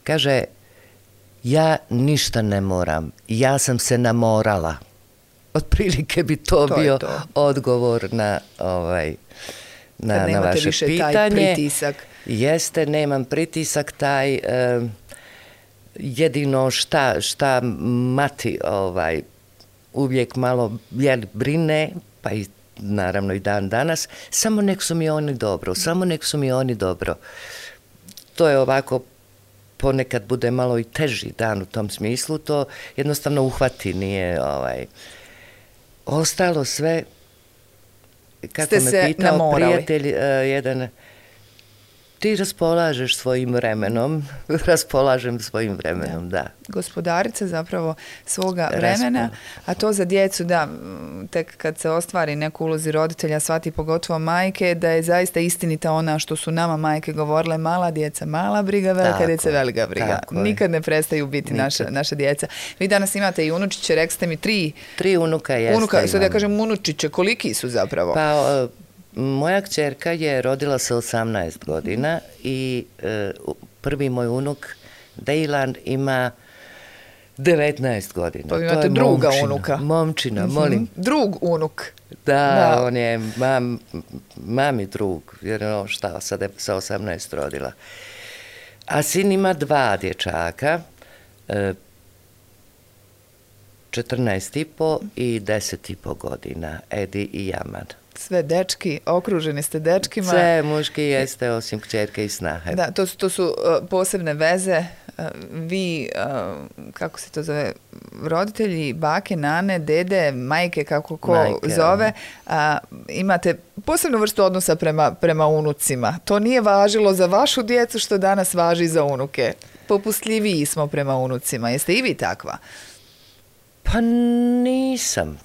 Kaže, ja ništa ne moram, ja sam se namorala. Otprilike bi to, to bio to. Odgovor na, ovaj, na, na vaše više pitanje. Taj pritisak. Jeste, nemam pritisak taj, eh, jedino šta, šta mati ovaj, uvijek malo jel, brine, pa i naravno i dan danas, samo nek su mi oni dobro, samo nek su mi oni dobro. To je ovako, ponekad bude malo i teži dan u tom smislu, to jednostavno uhvati, nije ovaj... Ostalo sve, kako Ste me se pitao namorali. Prijatelj, uh, jedan, ti raspolažeš svojim vremenom, raspolažem svojim vremenom, da. da. Gospodarica zapravo svoga vremena, a to za djecu, da, tek kad se ostvari neku ulozi roditelja, shvati pogotovo majke, da je zaista istinita ona što su nama majke govorile, mala djeca, mala briga, velika tako djeca, velika briga. Nikad ne prestaju biti naša, naša djeca. Vi danas imate i unučiće, rekli ste mi tri. Tri unuka jeste. Unuka, sad ja kažem unučiće, koliki su zapravo? Pa, uh, moja kćerka je rodila se osamnaest godina i e, prvi moj unuk, Dejlan, ima devetnaest godina. Pa imate to druga momčina, unuka. Momčina, molim. Mm-hmm. Drug unuk. Da, da, on je mam, mami drug, jer ono šta, sad je sa osamnaest rodila. A sin ima dva dječaka, e, četrnaest i po i deset i po godina, Edi i Jaman. Sve dečki, okruženi ste dečkima. Sve muški jeste, osim kćerke i snahe. Da, to su, to su uh, posebne veze, vi, kako se to zove, roditelji, bake, nane, dede, majke, kako ko majke, zove, a, imate posebnu vrstu odnosa prema, prema unucima. To nije važilo za vašu djecu što danas važi za unuke. Popustljiviji smo prema unucima. Jeste i vi takva? Pa nisam.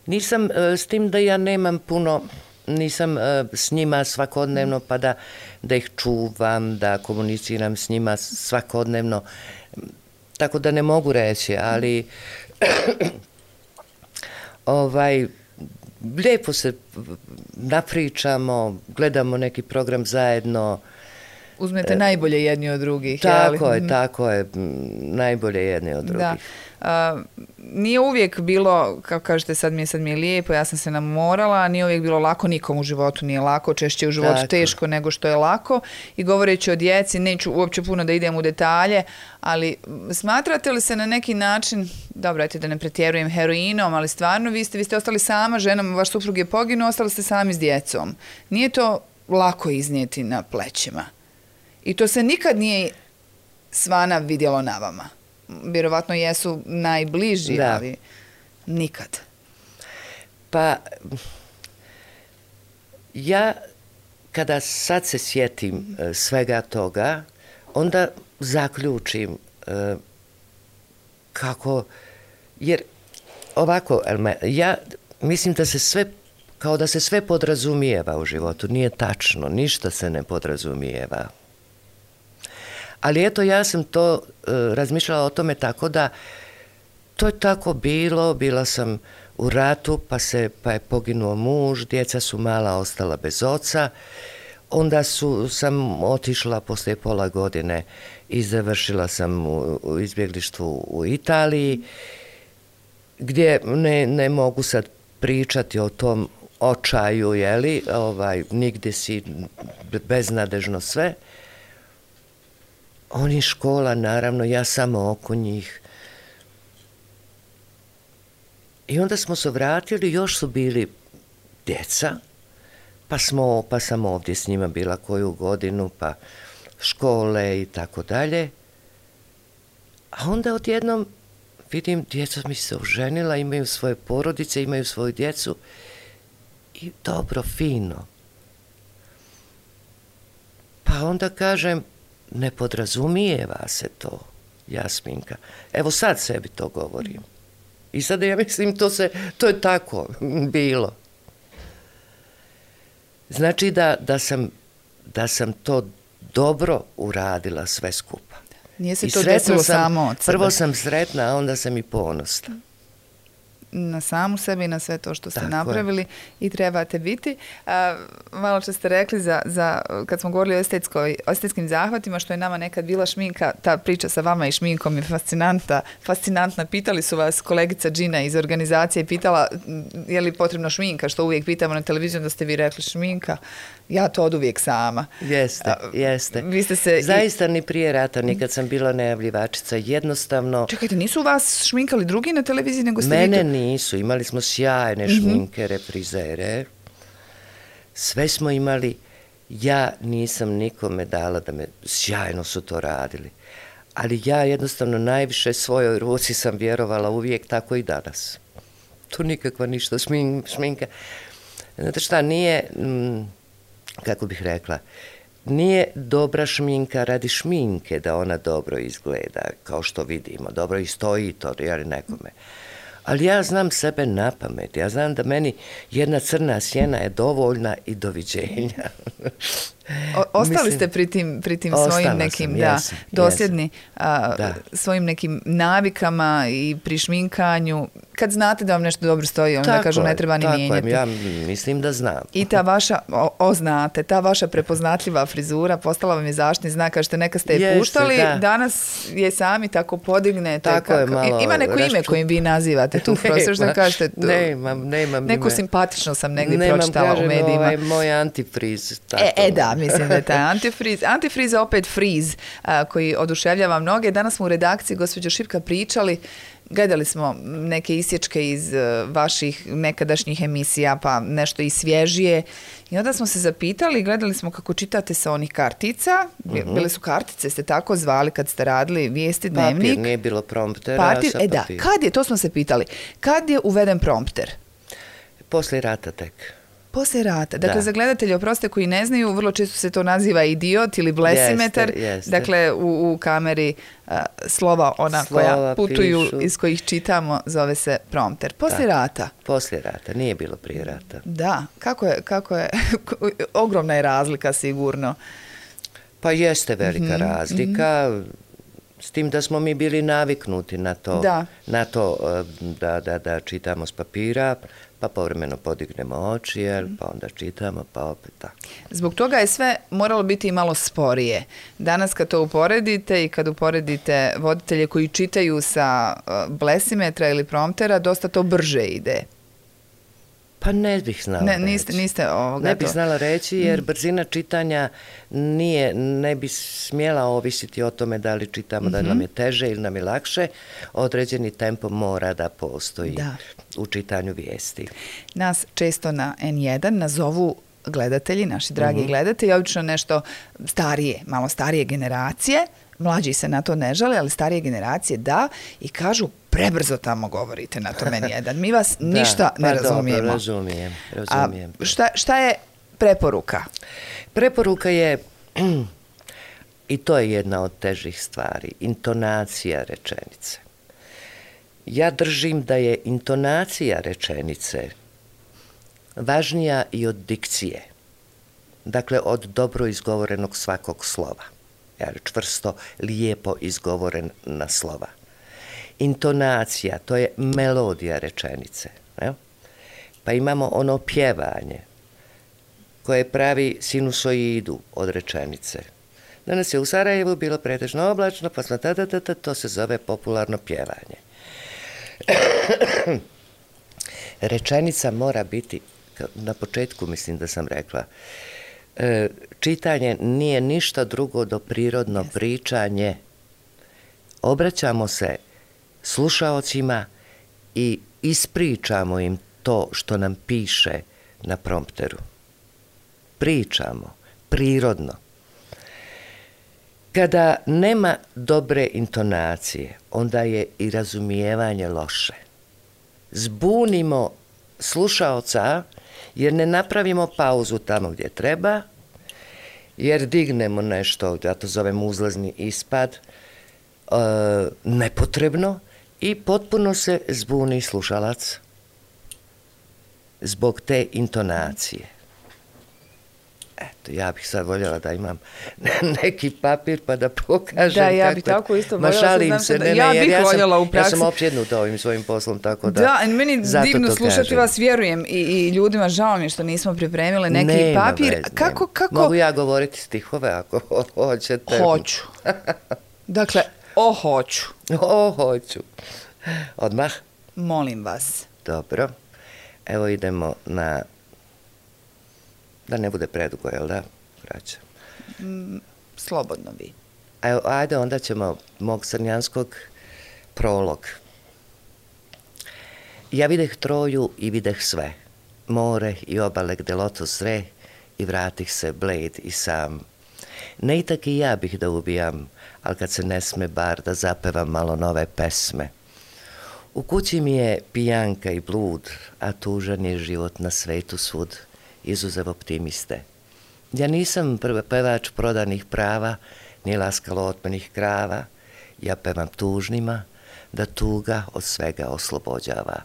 Nisam, s tim da ja nemam puno, nisam s njima svakodnevno, pa da, da ih čuvam, da komuniciram s njima svakodnevno. Tako da ne mogu reći, ali ovaj, lijepo se napričamo, gledamo neki program zajedno. Uzmete najbolje jedni od drugih. Tako jeli? je, tako je, najbolje jedni od drugih. Da. Uh, nije uvijek bilo, kao kažete, sad mi je, sad mi je lijepo, ja sam se namorala, nije uvijek bilo lako, nikom u životu nije lako, češće u životu tako. Teško nego što je lako. I govoreći o djeci, neću uopće puno da idem u detalje, ali smatrate li se na neki način, dobro, ajte da ne pretjerujem, heroinom, ali stvarno vi ste, vi ste ostali sama ženom, vaš suprug je poginuo, ostali ste sami s djecom. Nije to lako iznijeti na plećima. I to se nikad nije svana vidjelo na vama. Vjerovatno jesu najbliži, da. Ali nikad. Pa, ja kada sad se sjetim svega toga, onda zaključim kako, jer ovako, ja mislim da se sve, kao da se sve podrazumijeva u životu, nije tačno, ništa se ne podrazumijeva. Ali eto, ja sam to uh, razmišljala o tome tako da to je tako bilo, bila sam u ratu, pa, se, pa je poginuo muž, djeca su mala ostala bez oca, onda su, sam otišla poslije pola godine i završila sam u, u izbjeglištvu u Italiji, gdje ne, ne mogu sad pričati o tom očaju, jeli, ovaj, nigdje si beznadežno sve. Oni škola, naravno, ja samo oko njih. I onda smo se vratili, još su bili djeca, pa, smo, pa sam ovdje s njima bila koju godinu, pa škole i tako dalje. A onda odjednom vidim, djeca mi se oženila, imaju svoje porodice, imaju svoju djecu i dobro, fino. Pa onda kažem, ne podrazumijeva se to, Jasminka. Evo sad sebi to govorim. I sada ja mislim, to, se, to je tako bilo. Znači da, da, sam, da sam to dobro uradila sve skupa. Nije se to desilo samo od sebe. Prvo sam sretna, a onda sam i ponosna. Na samu sebe i na sve to što ste tako napravili je. I trebate biti. A, malo što ste rekli za, za, kad smo govorili o, estetskoj, o estetskim zahvatima, što je nama nekad bila šminka, ta priča sa vama i šminkom je fascinantna. fascinantna. Pitali su vas kolegica Džina iz organizacije, pitala je li potrebno šminka, što uvijek pitamo na televiziju, da ste vi rekli šminka. Ja to od uvijek sama. Jeste, jeste. Vi ste se zaista ni prije rata, nikad sam bila najavljivačica, jednostavno... Čekajte, nisu vas šminkali drugi na televiziji nego ste Mene vi to... nisu, imali smo sjajne mm-hmm. šminke, reprizere. Sve smo imali, ja nisam nikome dala da me, sjajno su to radili. Ali ja jednostavno najviše svojoj ruci sam vjerovala uvijek, tako i danas. To nikakva ništa šmin, šminka. Znate šta, nije... Mm, kako bih rekla, nije dobra šminka radi šminke da ona dobro izgleda, kao što vidimo, dobro i stoji to, jel nekome. Ali ja znam sebe na pamet, ja znam da meni jedna crna sjena je dovoljna i doviđenja. O, ostali Mislim, ste pri tim, pri tim svojim nekim, sam, da, jesam, dosljedni, a, da. svojim nekim navikama i pri šminkanju, kad znate da vam nešto dobro stoji, onda da kažu ne treba ni mijenjati. Ja mislim da znam. I ta vaša, o, o znate, ta vaša prepoznatljiva frizura postala vam je zaštitni znak, kažete neka ste je Jeste, puštali, da. Danas je sami tako podignete. Tako kako, je malo. Ima neko rašču... ime kojim vi nazivate tu profesor, što kažete? Tu, nemam, nemam Neku ime. Simpatično sam negdje nemam, pročitala kažem, u medijima. Ovaj, moj antifriz. Tako. E, e da, mislim da je taj antifriz. Antifriz je opet friz a, koji oduševljava mnoge. Danas smo u redakciji, gospođo Šipka, pričali gledali smo neke isječke iz vaših nekadašnjih emisija, pa nešto i svježije. I onda smo se zapitali, gledali smo kako čitate sa onih kartica. Mm-hmm. Bile su kartice, ste tako zvali kad ste radili vijesti, dnevnik. Papir, nije bilo promptera. Papir, sa e da, kad je, to smo se pitali, kad je uveden prompter? Poslije rata tek. Poslije rata. Dakle, da. Za gledatelje, oproste, koji ne znaju, vrlo često se to naziva idiot ili blesimetar. Jeste, jeste. Dakle, u, u kameri uh, slova ona slova koja putuju, pišu. Iz kojih čitamo, zove se prompter. Poslije da. Rata. Poslije rata, nije bilo prije rata. Da, kako je, kako je, ogromna je razlika sigurno. Pa jeste velika mm-hmm. razlika, mm-hmm. s tim da smo mi bili naviknuti na to, da. na to da, da, da čitamo s papira, pa povremeno podignemo oči, jel, pa onda čitamo, pa opet tako. Zbog toga je sve moralo biti i malo sporije. Danas kad to uporedite i kad uporedite voditelje koji čitaju sa blesimetra ili promptera, dosta to brže ide. Pa ne bih znala ne, reći. Niste, niste ovoga ne bih to. znala reći jer brzina čitanja nije, ne bi smjela ovisiti o tome da li čitamo mm-hmm. da nam je teže ili nam je lakše. Određeni tempo mora da postoji da. U čitanju vijesti. Nas često na en jedan nazovu gledatelji, naši dragi mm-hmm. gledatelji, obično nešto starije, malo starije generacije. Mlađi se na to ne žale, ali starije generacije da, i kažu prebrzo tamo govorite na tom en jedan. Mi vas da, ništa ne pa razumijemo. Dobro, razumijem, razumijem. A šta, šta je preporuka? Preporuka je, i to je jedna od težih stvari, intonacija rečenice. Ja držim da je intonacija rečenice važnija i od dikcije. Dakle, od dobro izgovorenog svakog slova. Jer čvrsto, lijepo izgovorena slova. Intonacija, to je melodija rečenice. Ne? Pa imamo ono pjevanje koje pravi sinusoidu od rečenice. Danas je u Sarajevu bilo pretežno oblačno, pa smo tada, tada, to se zove popularno pjevanje. Rečenica mora biti, na početku mislim da sam rekla, čitanje nije ništa drugo do prirodno pričanje. Obraćamo se slušaocima i ispričamo im to što nam piše na prompteru. Pričamo, prirodno. Kada nema dobre intonacije, onda je i razumijevanje loše. Zbunimo slušaoca jer ne napravimo pauzu tamo gdje treba, jer dignemo nešto, ja to zovem uzlazni ispad, e, nepotrebno i potpuno se zbuni slušalac zbog te intonacije. Eto, ja bih sad voljela da imam neki papir pa da pokažem. Da, ja bih tako isto voljela. Ma šalim se, ne, ne, ja bih ja voljela sam, u praksi. Ja sam opsjednuta ovim svojim poslom, tako da... Da, meni divno slušati kažem. Vas, vjerujem, i, i ljudima žao mi što nismo pripremili neki nema papir. Vez, kako, kako... Mogu ja govoriti stihove ako hoćete. Hoću. Dakle, o hoću. O hoću. Odmah? Molim vas. Dobro. Evo idemo na... Da ne bude predugo, jel da? Vraća. Mm, slobodno vi. Evo, ajde, onda ćemo mog crnjanskog prolog. Ja videh Troju i videh sve. More i obale gde lotos zre i vratih se bled i sam. Ne i tak i ja bih da ubijam, ali kad se ne sme bar da zapevam malo nove pesme. U kući mi je pijanka i blud, a tužan je život na svetu svud. Izuzev optimiste. Ja nisam pevač prodanih prava, ni laskalo otmenih krava. Ja pevam tužnima, da tuga od svega oslobođava.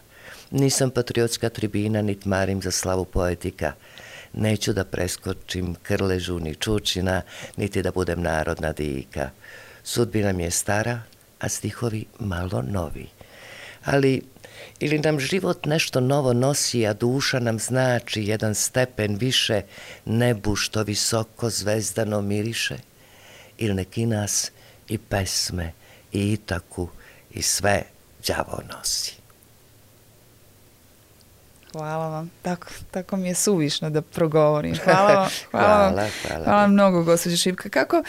Nisam patriotska tribina, nit marim za slavu poetika. Neću da preskočim krležu ni čučina, niti da budem narodna dika. Sudbina mi je stara, a stihovi malo novi. Ali... Ili nam život nešto novo nosi, a duša nam znači jedan stepen više nebu što visoko zvezdano miriše. Ili neki nas i pesme, i itaku, i sve đavo nosi. Hvala vam. Tako, tako mi je suvišno da progovorim. Hvala vam. Hvala, hvala, vam. hvala, hvala mnogo, gospođo Šipka. Kako...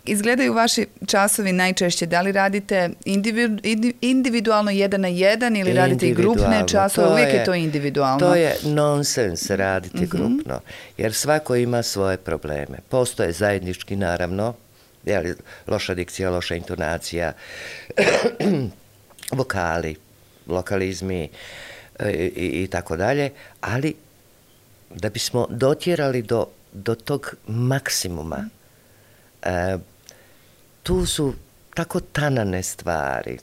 izgledaju vaši časovi najčešće? Da li radite individu, individualno jedan na jedan ili radite i grupne časove? Uvijek je to individualno. To je nonsens raditi mm-hmm. grupno, jer svako ima svoje probleme. Postoje zajednički, naravno, jeli, loša dikcija, loša intonacija, vokali, lokalizmi i, i, i tako dalje, ali da bismo dotjerali do, do tog maksimuma, e, tu su tako tanane stvari.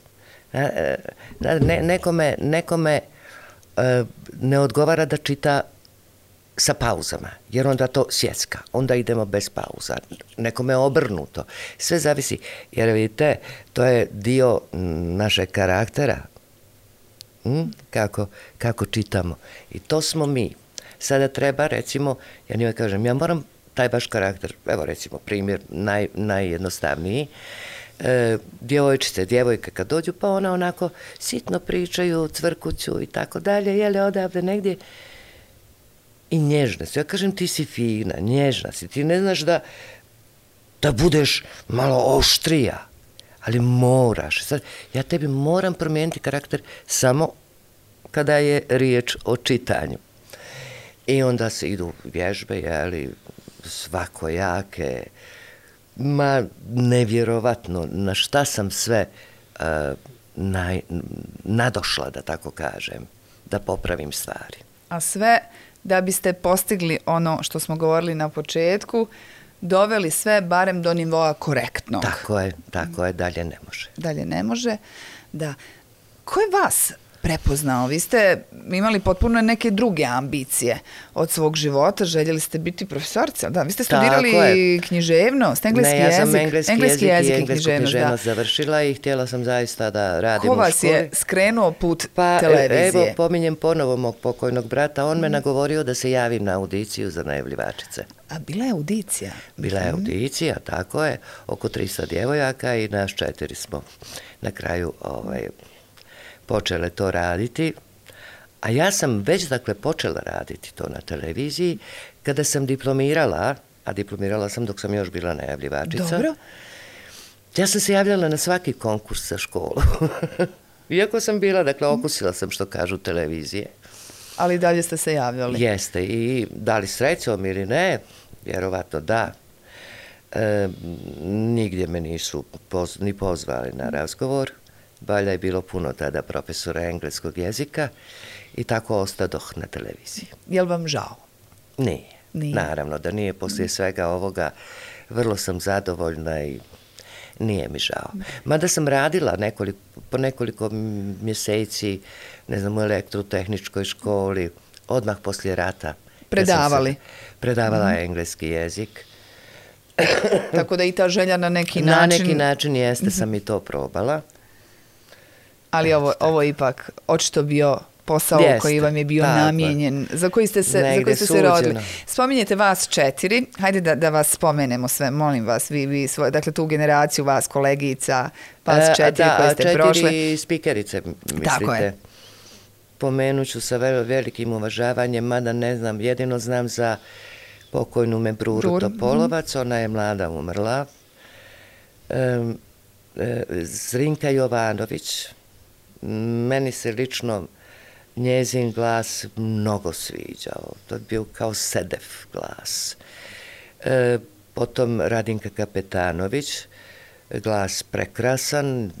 E, ne, nekome nekome e, ne odgovara da čita sa pauzama, jer onda to sjecka, onda idemo bez pauza. Nekome obrnuto. Sve zavisi, jer vidite, to je dio našeg karaktera. Hm? Kako, kako čitamo. I to smo mi. Sada treba, recimo, ja njoj kažem, ja moram taj baš karakter, evo recimo primjer naj, najjednostavniji, e, djevojčice, djevojke kad dođu, pa ona onako sitno pričaju, cvrkuću i tako dalje, jele odavde negdje i nježne su. Ja kažem, ti si fina, nježna si, ti ne znaš da, da budeš malo oštrija, ali moraš. Sad, ja tebi moram promijeniti karakter samo kada je riječ o čitanju. I onda se idu vježbe, jeli, svakojake, ma nevjerovatno na šta sam sve uh, naj, nadošla, da tako kažem, da popravim stvari. A sve da biste postigli ono što smo govorili na početku, doveli sve barem do nivoa korektnog. Tako je, tako je, dalje ne može. Dalje ne može, da. Ko je vas prepoznao? Vi ste imali potpuno neke druge ambicije od svog života, željeli ste biti profesorica, da, vi ste studirali književnost, engleski jezik. Ne, ja sam engleski, engleski jezik, jezik i englesku književnost da. završila i htjela sam zaista da radim Ko u školi. Ko vas je skrenuo put pa, televizije? Evo, pominjem ponovo mog pokojnog brata, on mm. me nagovorio da se javim na audiciju za najavljivačice. A bila je audicija? Bila je audicija, tako je, oko tristo djevojaka i nas četiri smo na kraju ovaj, počele to raditi, a ja sam već dakle počela raditi to na televiziji kada sam diplomirala, a diplomirala sam dok sam još bila najavljivačica. Dobro. Ja sam se javljala na svaki konkurs za školu. Iako sam bila, dakle okusila sam što kažu televizije. Ali dalje ste se javljali. Jeste i da li srećom ili ne, vjerovatno da. E, nigdje me nisu poz, ni pozvali na razgovor. Valjda je bilo puno tada profesora engleskog jezika i tako ostadoh na televiziji. Je li vam žao? Nije. Nije. Naravno da nije. Poslije svega ovoga vrlo sam zadovoljna i nije mi žao. Mada sam radila nekoliko, po nekoliko mjeseci, ne znam, u elektrotehničkoj školi, odmah poslije rata. Predavali? Ja predavala mm. engleski jezik. Tako da i ta želja na neki način... Na neki način jeste, sam i to probala. Ali ovo, ovo je ipak očito bio posao jeste, koji vam je bio tako namijenjen, za koji ste se, za koji ste se rodili. Spominjete vas četiri, hajde da, da vas spomenemo sve, molim vas, vi, vi svoje, dakle tu generaciju vas kolegica, vas četiri da, koje ste četiri prošle. Četiri spikerice, mislite? Tako je. Pomenut ću sa velikim uvažavanjem, mada ne znam, jedino znam za pokojnu Mebruru Brur. Topolovac, ona je mlada umrla. Um, Zrinka Jovanović, meni se lično njezin glas mnogo sviđao. To je bio kao sedev glas. E, potom Radinka Kapetanović, glas prekrasan,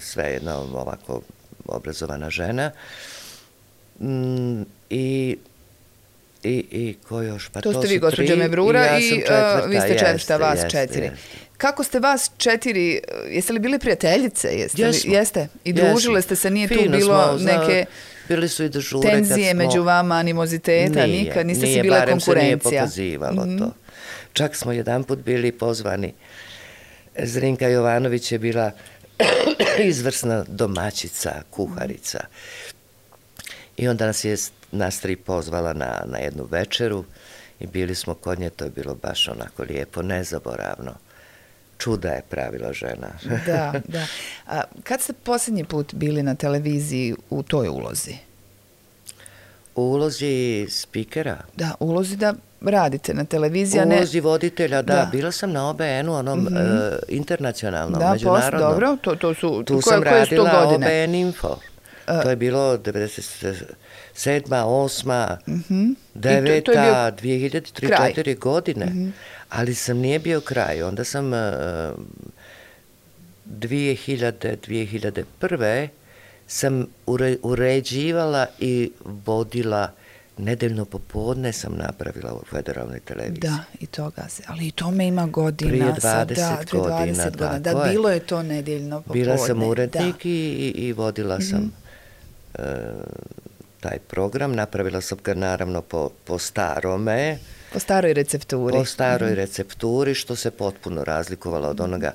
svejedno ovako obrazovana žena. Mm, i, i, i ko još? Pa to, to ste vi, gospođa Mebrura, i, ja i četvrta, uh, vi ste četvrta, jeste, vas jeste, četiri. Jeste. Kako ste vas četiri, jeste li bili prijateljice? Jeste, Jesmo. Li, jeste? I družile Jesmo. Ste se, nije Fino tu bilo smo, neke bili su i dežure tenzije smo... među vama, animoziteta, nije, nikad, niste nije, si bile barem konkurencija. Se nije pokazivalo mm-hmm. to. Čak smo jedan put bili pozvani. Zrinka Jovanović je bila izvrsna domaćica, kuharica. I onda nas je nas tri pozvala na, na jednu večeru i bili smo kod nje, to je bilo baš onako lijepo, nezaboravno. Čuda je pravila žena. Da, da. A kad ste posljednji put bili na televiziji u toj ulozi? U ulozi spikera? Da, u ulozi da radite na televiziji. Ulozi voditelja, da, da. Bila sam na O B N-u, onom mm -hmm. uh, internacionalnom, da, međunarodnom. Da, dobro, to, to su, tu koje, sam koje su to radila godine? O B N Info. Uh, to je bilo devedeset sedma, osma, mm -hmm. deveta, dvije hiljade tri četiri godine. Mm -hmm. Ali sam nije bio kraj. Onda sam uh, dvije hiljade, dvije hiljade prve sam ure, uređivala i vodila nedeljno popodne sam napravila u federalnoj televiziji. Da, i toga se, ali i tome ima godina. Prije dvadeset da, godina. dvadeset godina. Da, je. bilo je to nedeljno popodne. Bila sam urednik i, i vodila sam mm-hmm. uh, taj program. Napravila sam ga naravno po, po starome. Po staroj recepturi. Po staroj mm-hmm. recepturi, što se potpuno razlikovalo od onoga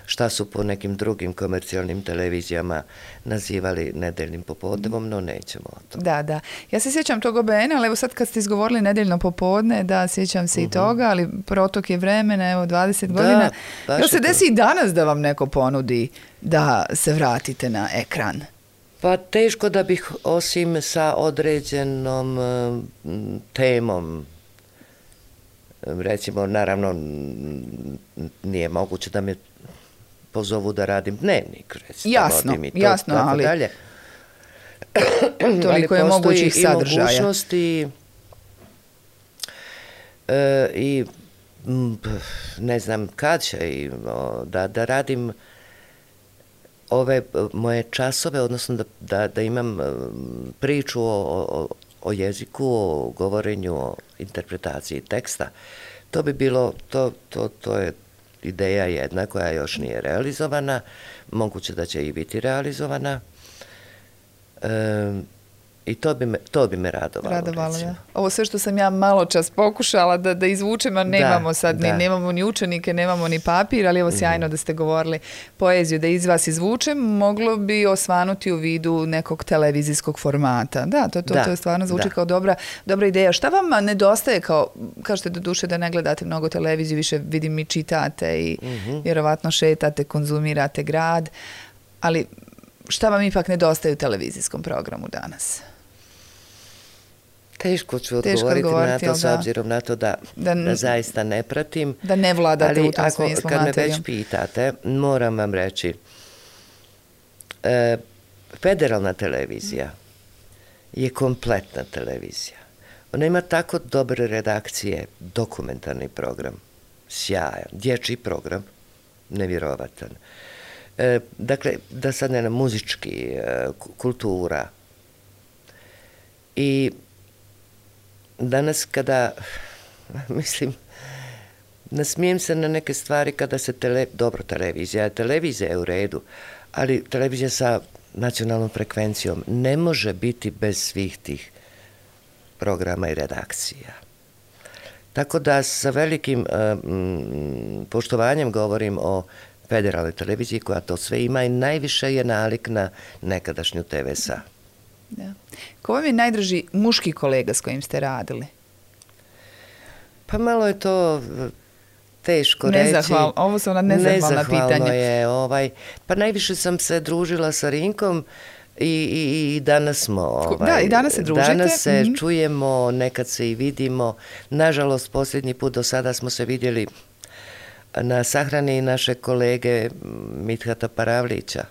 šta su po nekim drugim komercijalnim televizijama nazivali nedeljnim popodnevom, no nećemo o tom. Da, da. Ja se sjećam tog O B N-a, ali evo sad kad ste izgovorili nedeljno popodne, da, sjećam se uh-huh. i toga, ali protok je vremena, evo, dvadeset da, godina. Jel se desi i danas da vam neko ponudi da se vratite na ekran? Pa teško da bih, osim sa određenom uh, temom, recimo, naravno, nije moguće da me pozovu da radim dnevnik, recimo. Jasno, to, jasno, tako ali dalje. toliko je mogućih sadržaja. Ali mogućnosti e, i ne znam kad će i, o, da, da radim ove moje časove, odnosno da, da, da imam priču o, o, o jeziku, o govorenju, o interpretaciji teksta. To bi bilo, to, to, to je ideja jedna koja još nije realizovana, moguće da će i biti realizovana. E, I to bi me, to bi me radovalo. Radovalo, ja. Ovo sve što sam ja malo čas pokušala da, da izvučem, a nemamo da, sad, da. Ni, nemamo ni učenike, nemamo ni papir, ali evo sjajno mm. da ste govorili poeziju, da iz vas izvučem, moglo bi osvanuti u vidu nekog televizijskog formata. Da, to, to, da, to je stvarno zvuči da. kao dobra, dobra ideja. Šta vam nedostaje, kao, kažete do duše da ne gledate mnogo televiziju, više vidim i čitate i mm-hmm. vjerovatno šetate, konzumirate grad, ali šta vam ipak nedostaje u televizijskom programu danas? Teško ću odgovoriti na to, s obzirom na to da, da, da zaista ne pratim. Da ne vladate ali u tom ako, smislu kad materijom. me već pitate, moram vam reći, e, federalna televizija je kompletna televizija. Ona ima tako dobre redakcije, dokumentarni program, sjajan, dječji program, nevjerovatan. E, dakle, da sad ne na muzički, e, kultura. I danas kada, mislim, nasmijem se na neke stvari kada se, tele, dobro, televizija, televizija je u redu, ali televizija sa nacionalnom frekvencijom ne može biti bez svih tih programa i redakcija. Tako da sa velikim um, poštovanjem govorim o federalnoj televiziji koja to sve ima i najviše je nalik na nekadašnju T V S A. Da. Ko vam je najdraži muški kolega s kojim ste radili? Pa malo je to teško Nezahval, reći. Ovo su ona nezahvalna pitanja. Nezahvalno je. Ovaj, pa najviše sam se družila sa Rinkom i, i, i danas smo... Ovaj, da, i danas se družite. Danas se mm-hmm. čujemo, nekad se i vidimo. Nažalost, posljednji put do sada smo se vidjeli na sahrani naše kolege Mithata Paravlića.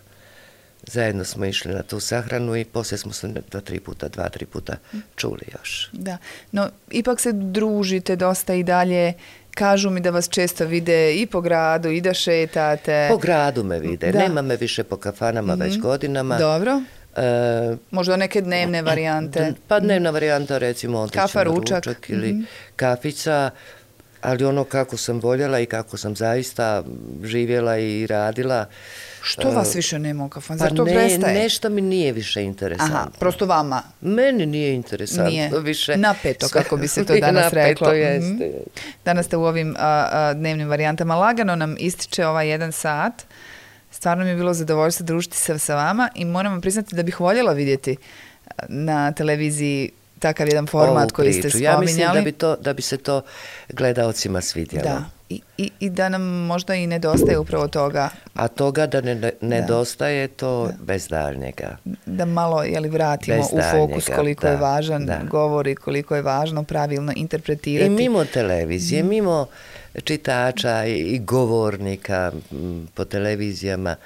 Zajedno smo išli na tu sahranu i poslije smo se dva, tri puta, dva, tri puta čuli još. Da, no ipak se družite dosta i dalje. Kažu mi da vas često vide i po gradu i da šetate. Po gradu me vide, da. Nema me više po kafanama mm-hmm. već godinama. Dobro. E, možda neke dnevne varijante. Pa dnevna varijanta, recimo otići Kafa, na ručak. ručak ili mm-hmm. kafica. Ali ono kako sam voljela i kako sam zaista živjela i radila. Što vas više nema u kafanu? Pa Zar to ne, prestaje? Nešto mi nije više interesantno. Aha, prosto vama? Meni nije interesantno nije. više. Napeto, kako bi se to danas reklo. Napeto jeste. Mm-hmm. Danas ste u ovim a, a, dnevnim varijantama. Lagano nam ističe ovaj jedan sat. Stvarno mi je bilo zadovoljstvo družiti se sa vama i moram vam priznati da bih voljela vidjeti na televiziji takav jedan format koji ste spominjali. Ja mislim da bi, to, da bi se to gledaocima svidjelo. Da. I, i, i da nam možda i nedostaje upravo toga. A toga da ne, nedostaje to da. bez daljnjega. Da malo jeli, vratimo bez u fokus koliko da, je važan da. govor i koliko je važno pravilno interpretirati. I mimo televizije, mm. mimo čitača i, i govornika m, po televizijama,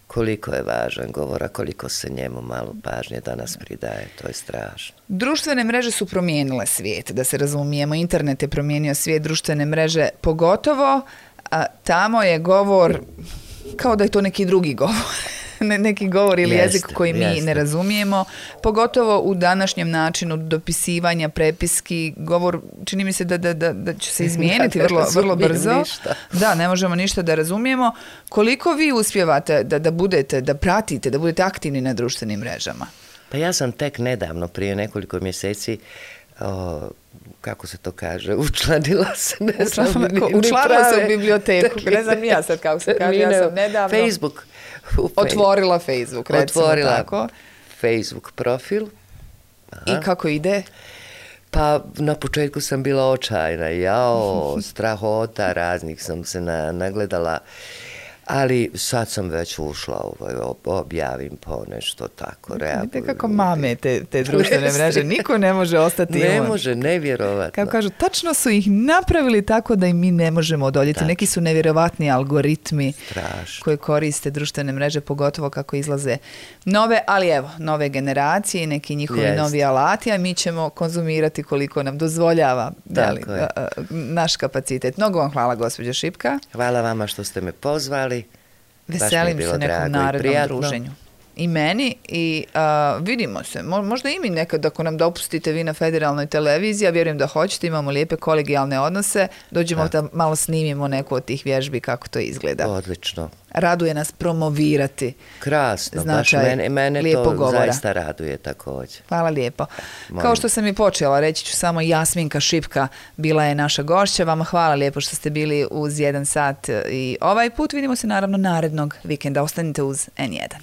koliko je važan govor, a koliko se njemu malo pažnje danas pridaje, to je strašno. Društvene mreže su promijenile svijet, da se razumijemo. Internet je promijenio svijet, društvene mreže pogotovo, a tamo je govor kao da je to neki drugi govor. Ne, neki govor ili jeste, jezik koji mi jeste. ne razumijemo, pogotovo u današnjem načinu dopisivanja, prepiski, govor, čini mi se da, da, da, da će se izmijeniti ja, vrlo, vrlo brzo. Ništa. Da, ne možemo ništa da razumijemo. Koliko vi uspijevate da, da budete, da pratite, da budete aktivni na društvenim mrežama? Pa ja sam tek nedavno, prije nekoliko mjeseci, o, kako se to kaže, učlanila se, ne znam. Učlanila se u biblioteku, ne znam ja sad kako se kaže, ja sam nedavno. Facebook. Otvorila Facebook, recimo Otvorila tako. Facebook profil. Aha. I kako ide? Pa na početku sam bila očajna, jao, strahota, raznih sam se na, nagledala, ali sad sam već ušla, ovaj, objavim po nešto tako. Vidite kako mame te, te društvene mreže, niko ne može ostati ne imun. može, nevjerovatno. Kako kažu, tačno su ih napravili tako da i mi ne možemo odoljeti. Tačno. Neki su nevjerovatni algoritmi Strašno. koji koriste društvene mreže, pogotovo kako izlaze nove, ali evo, nove generacije i neki njihovi Jest. novi alati, a mi ćemo konzumirati koliko nam dozvoljava dali, naš kapacitet. Mnogo vam hvala, gospođo Šipka. Hvala vama što ste me pozvali. Veselim se nekom narednom druženju. I meni i uh, vidimo se. Mo, možda i mi nekad ako nam dopustite vi na federalnoj televiziji, ja vjerujem da hoćete, imamo lijepe kolegijalne odnose, dođemo da malo snimimo neku od tih vježbi kako to izgleda. Odlično. Raduje nas promovirati. Krasno, baš mene, mene to govora. Zaista raduje također. Hvala lijepo. Molim. Kao što sam i počela, reći ću samo Jasminka Šipka bila je naša gošća. Vama hvala lijepo što ste bili uz jedan sat i ovaj put. Vidimo se naravno narednog vikenda. Ostanite uz en jedan.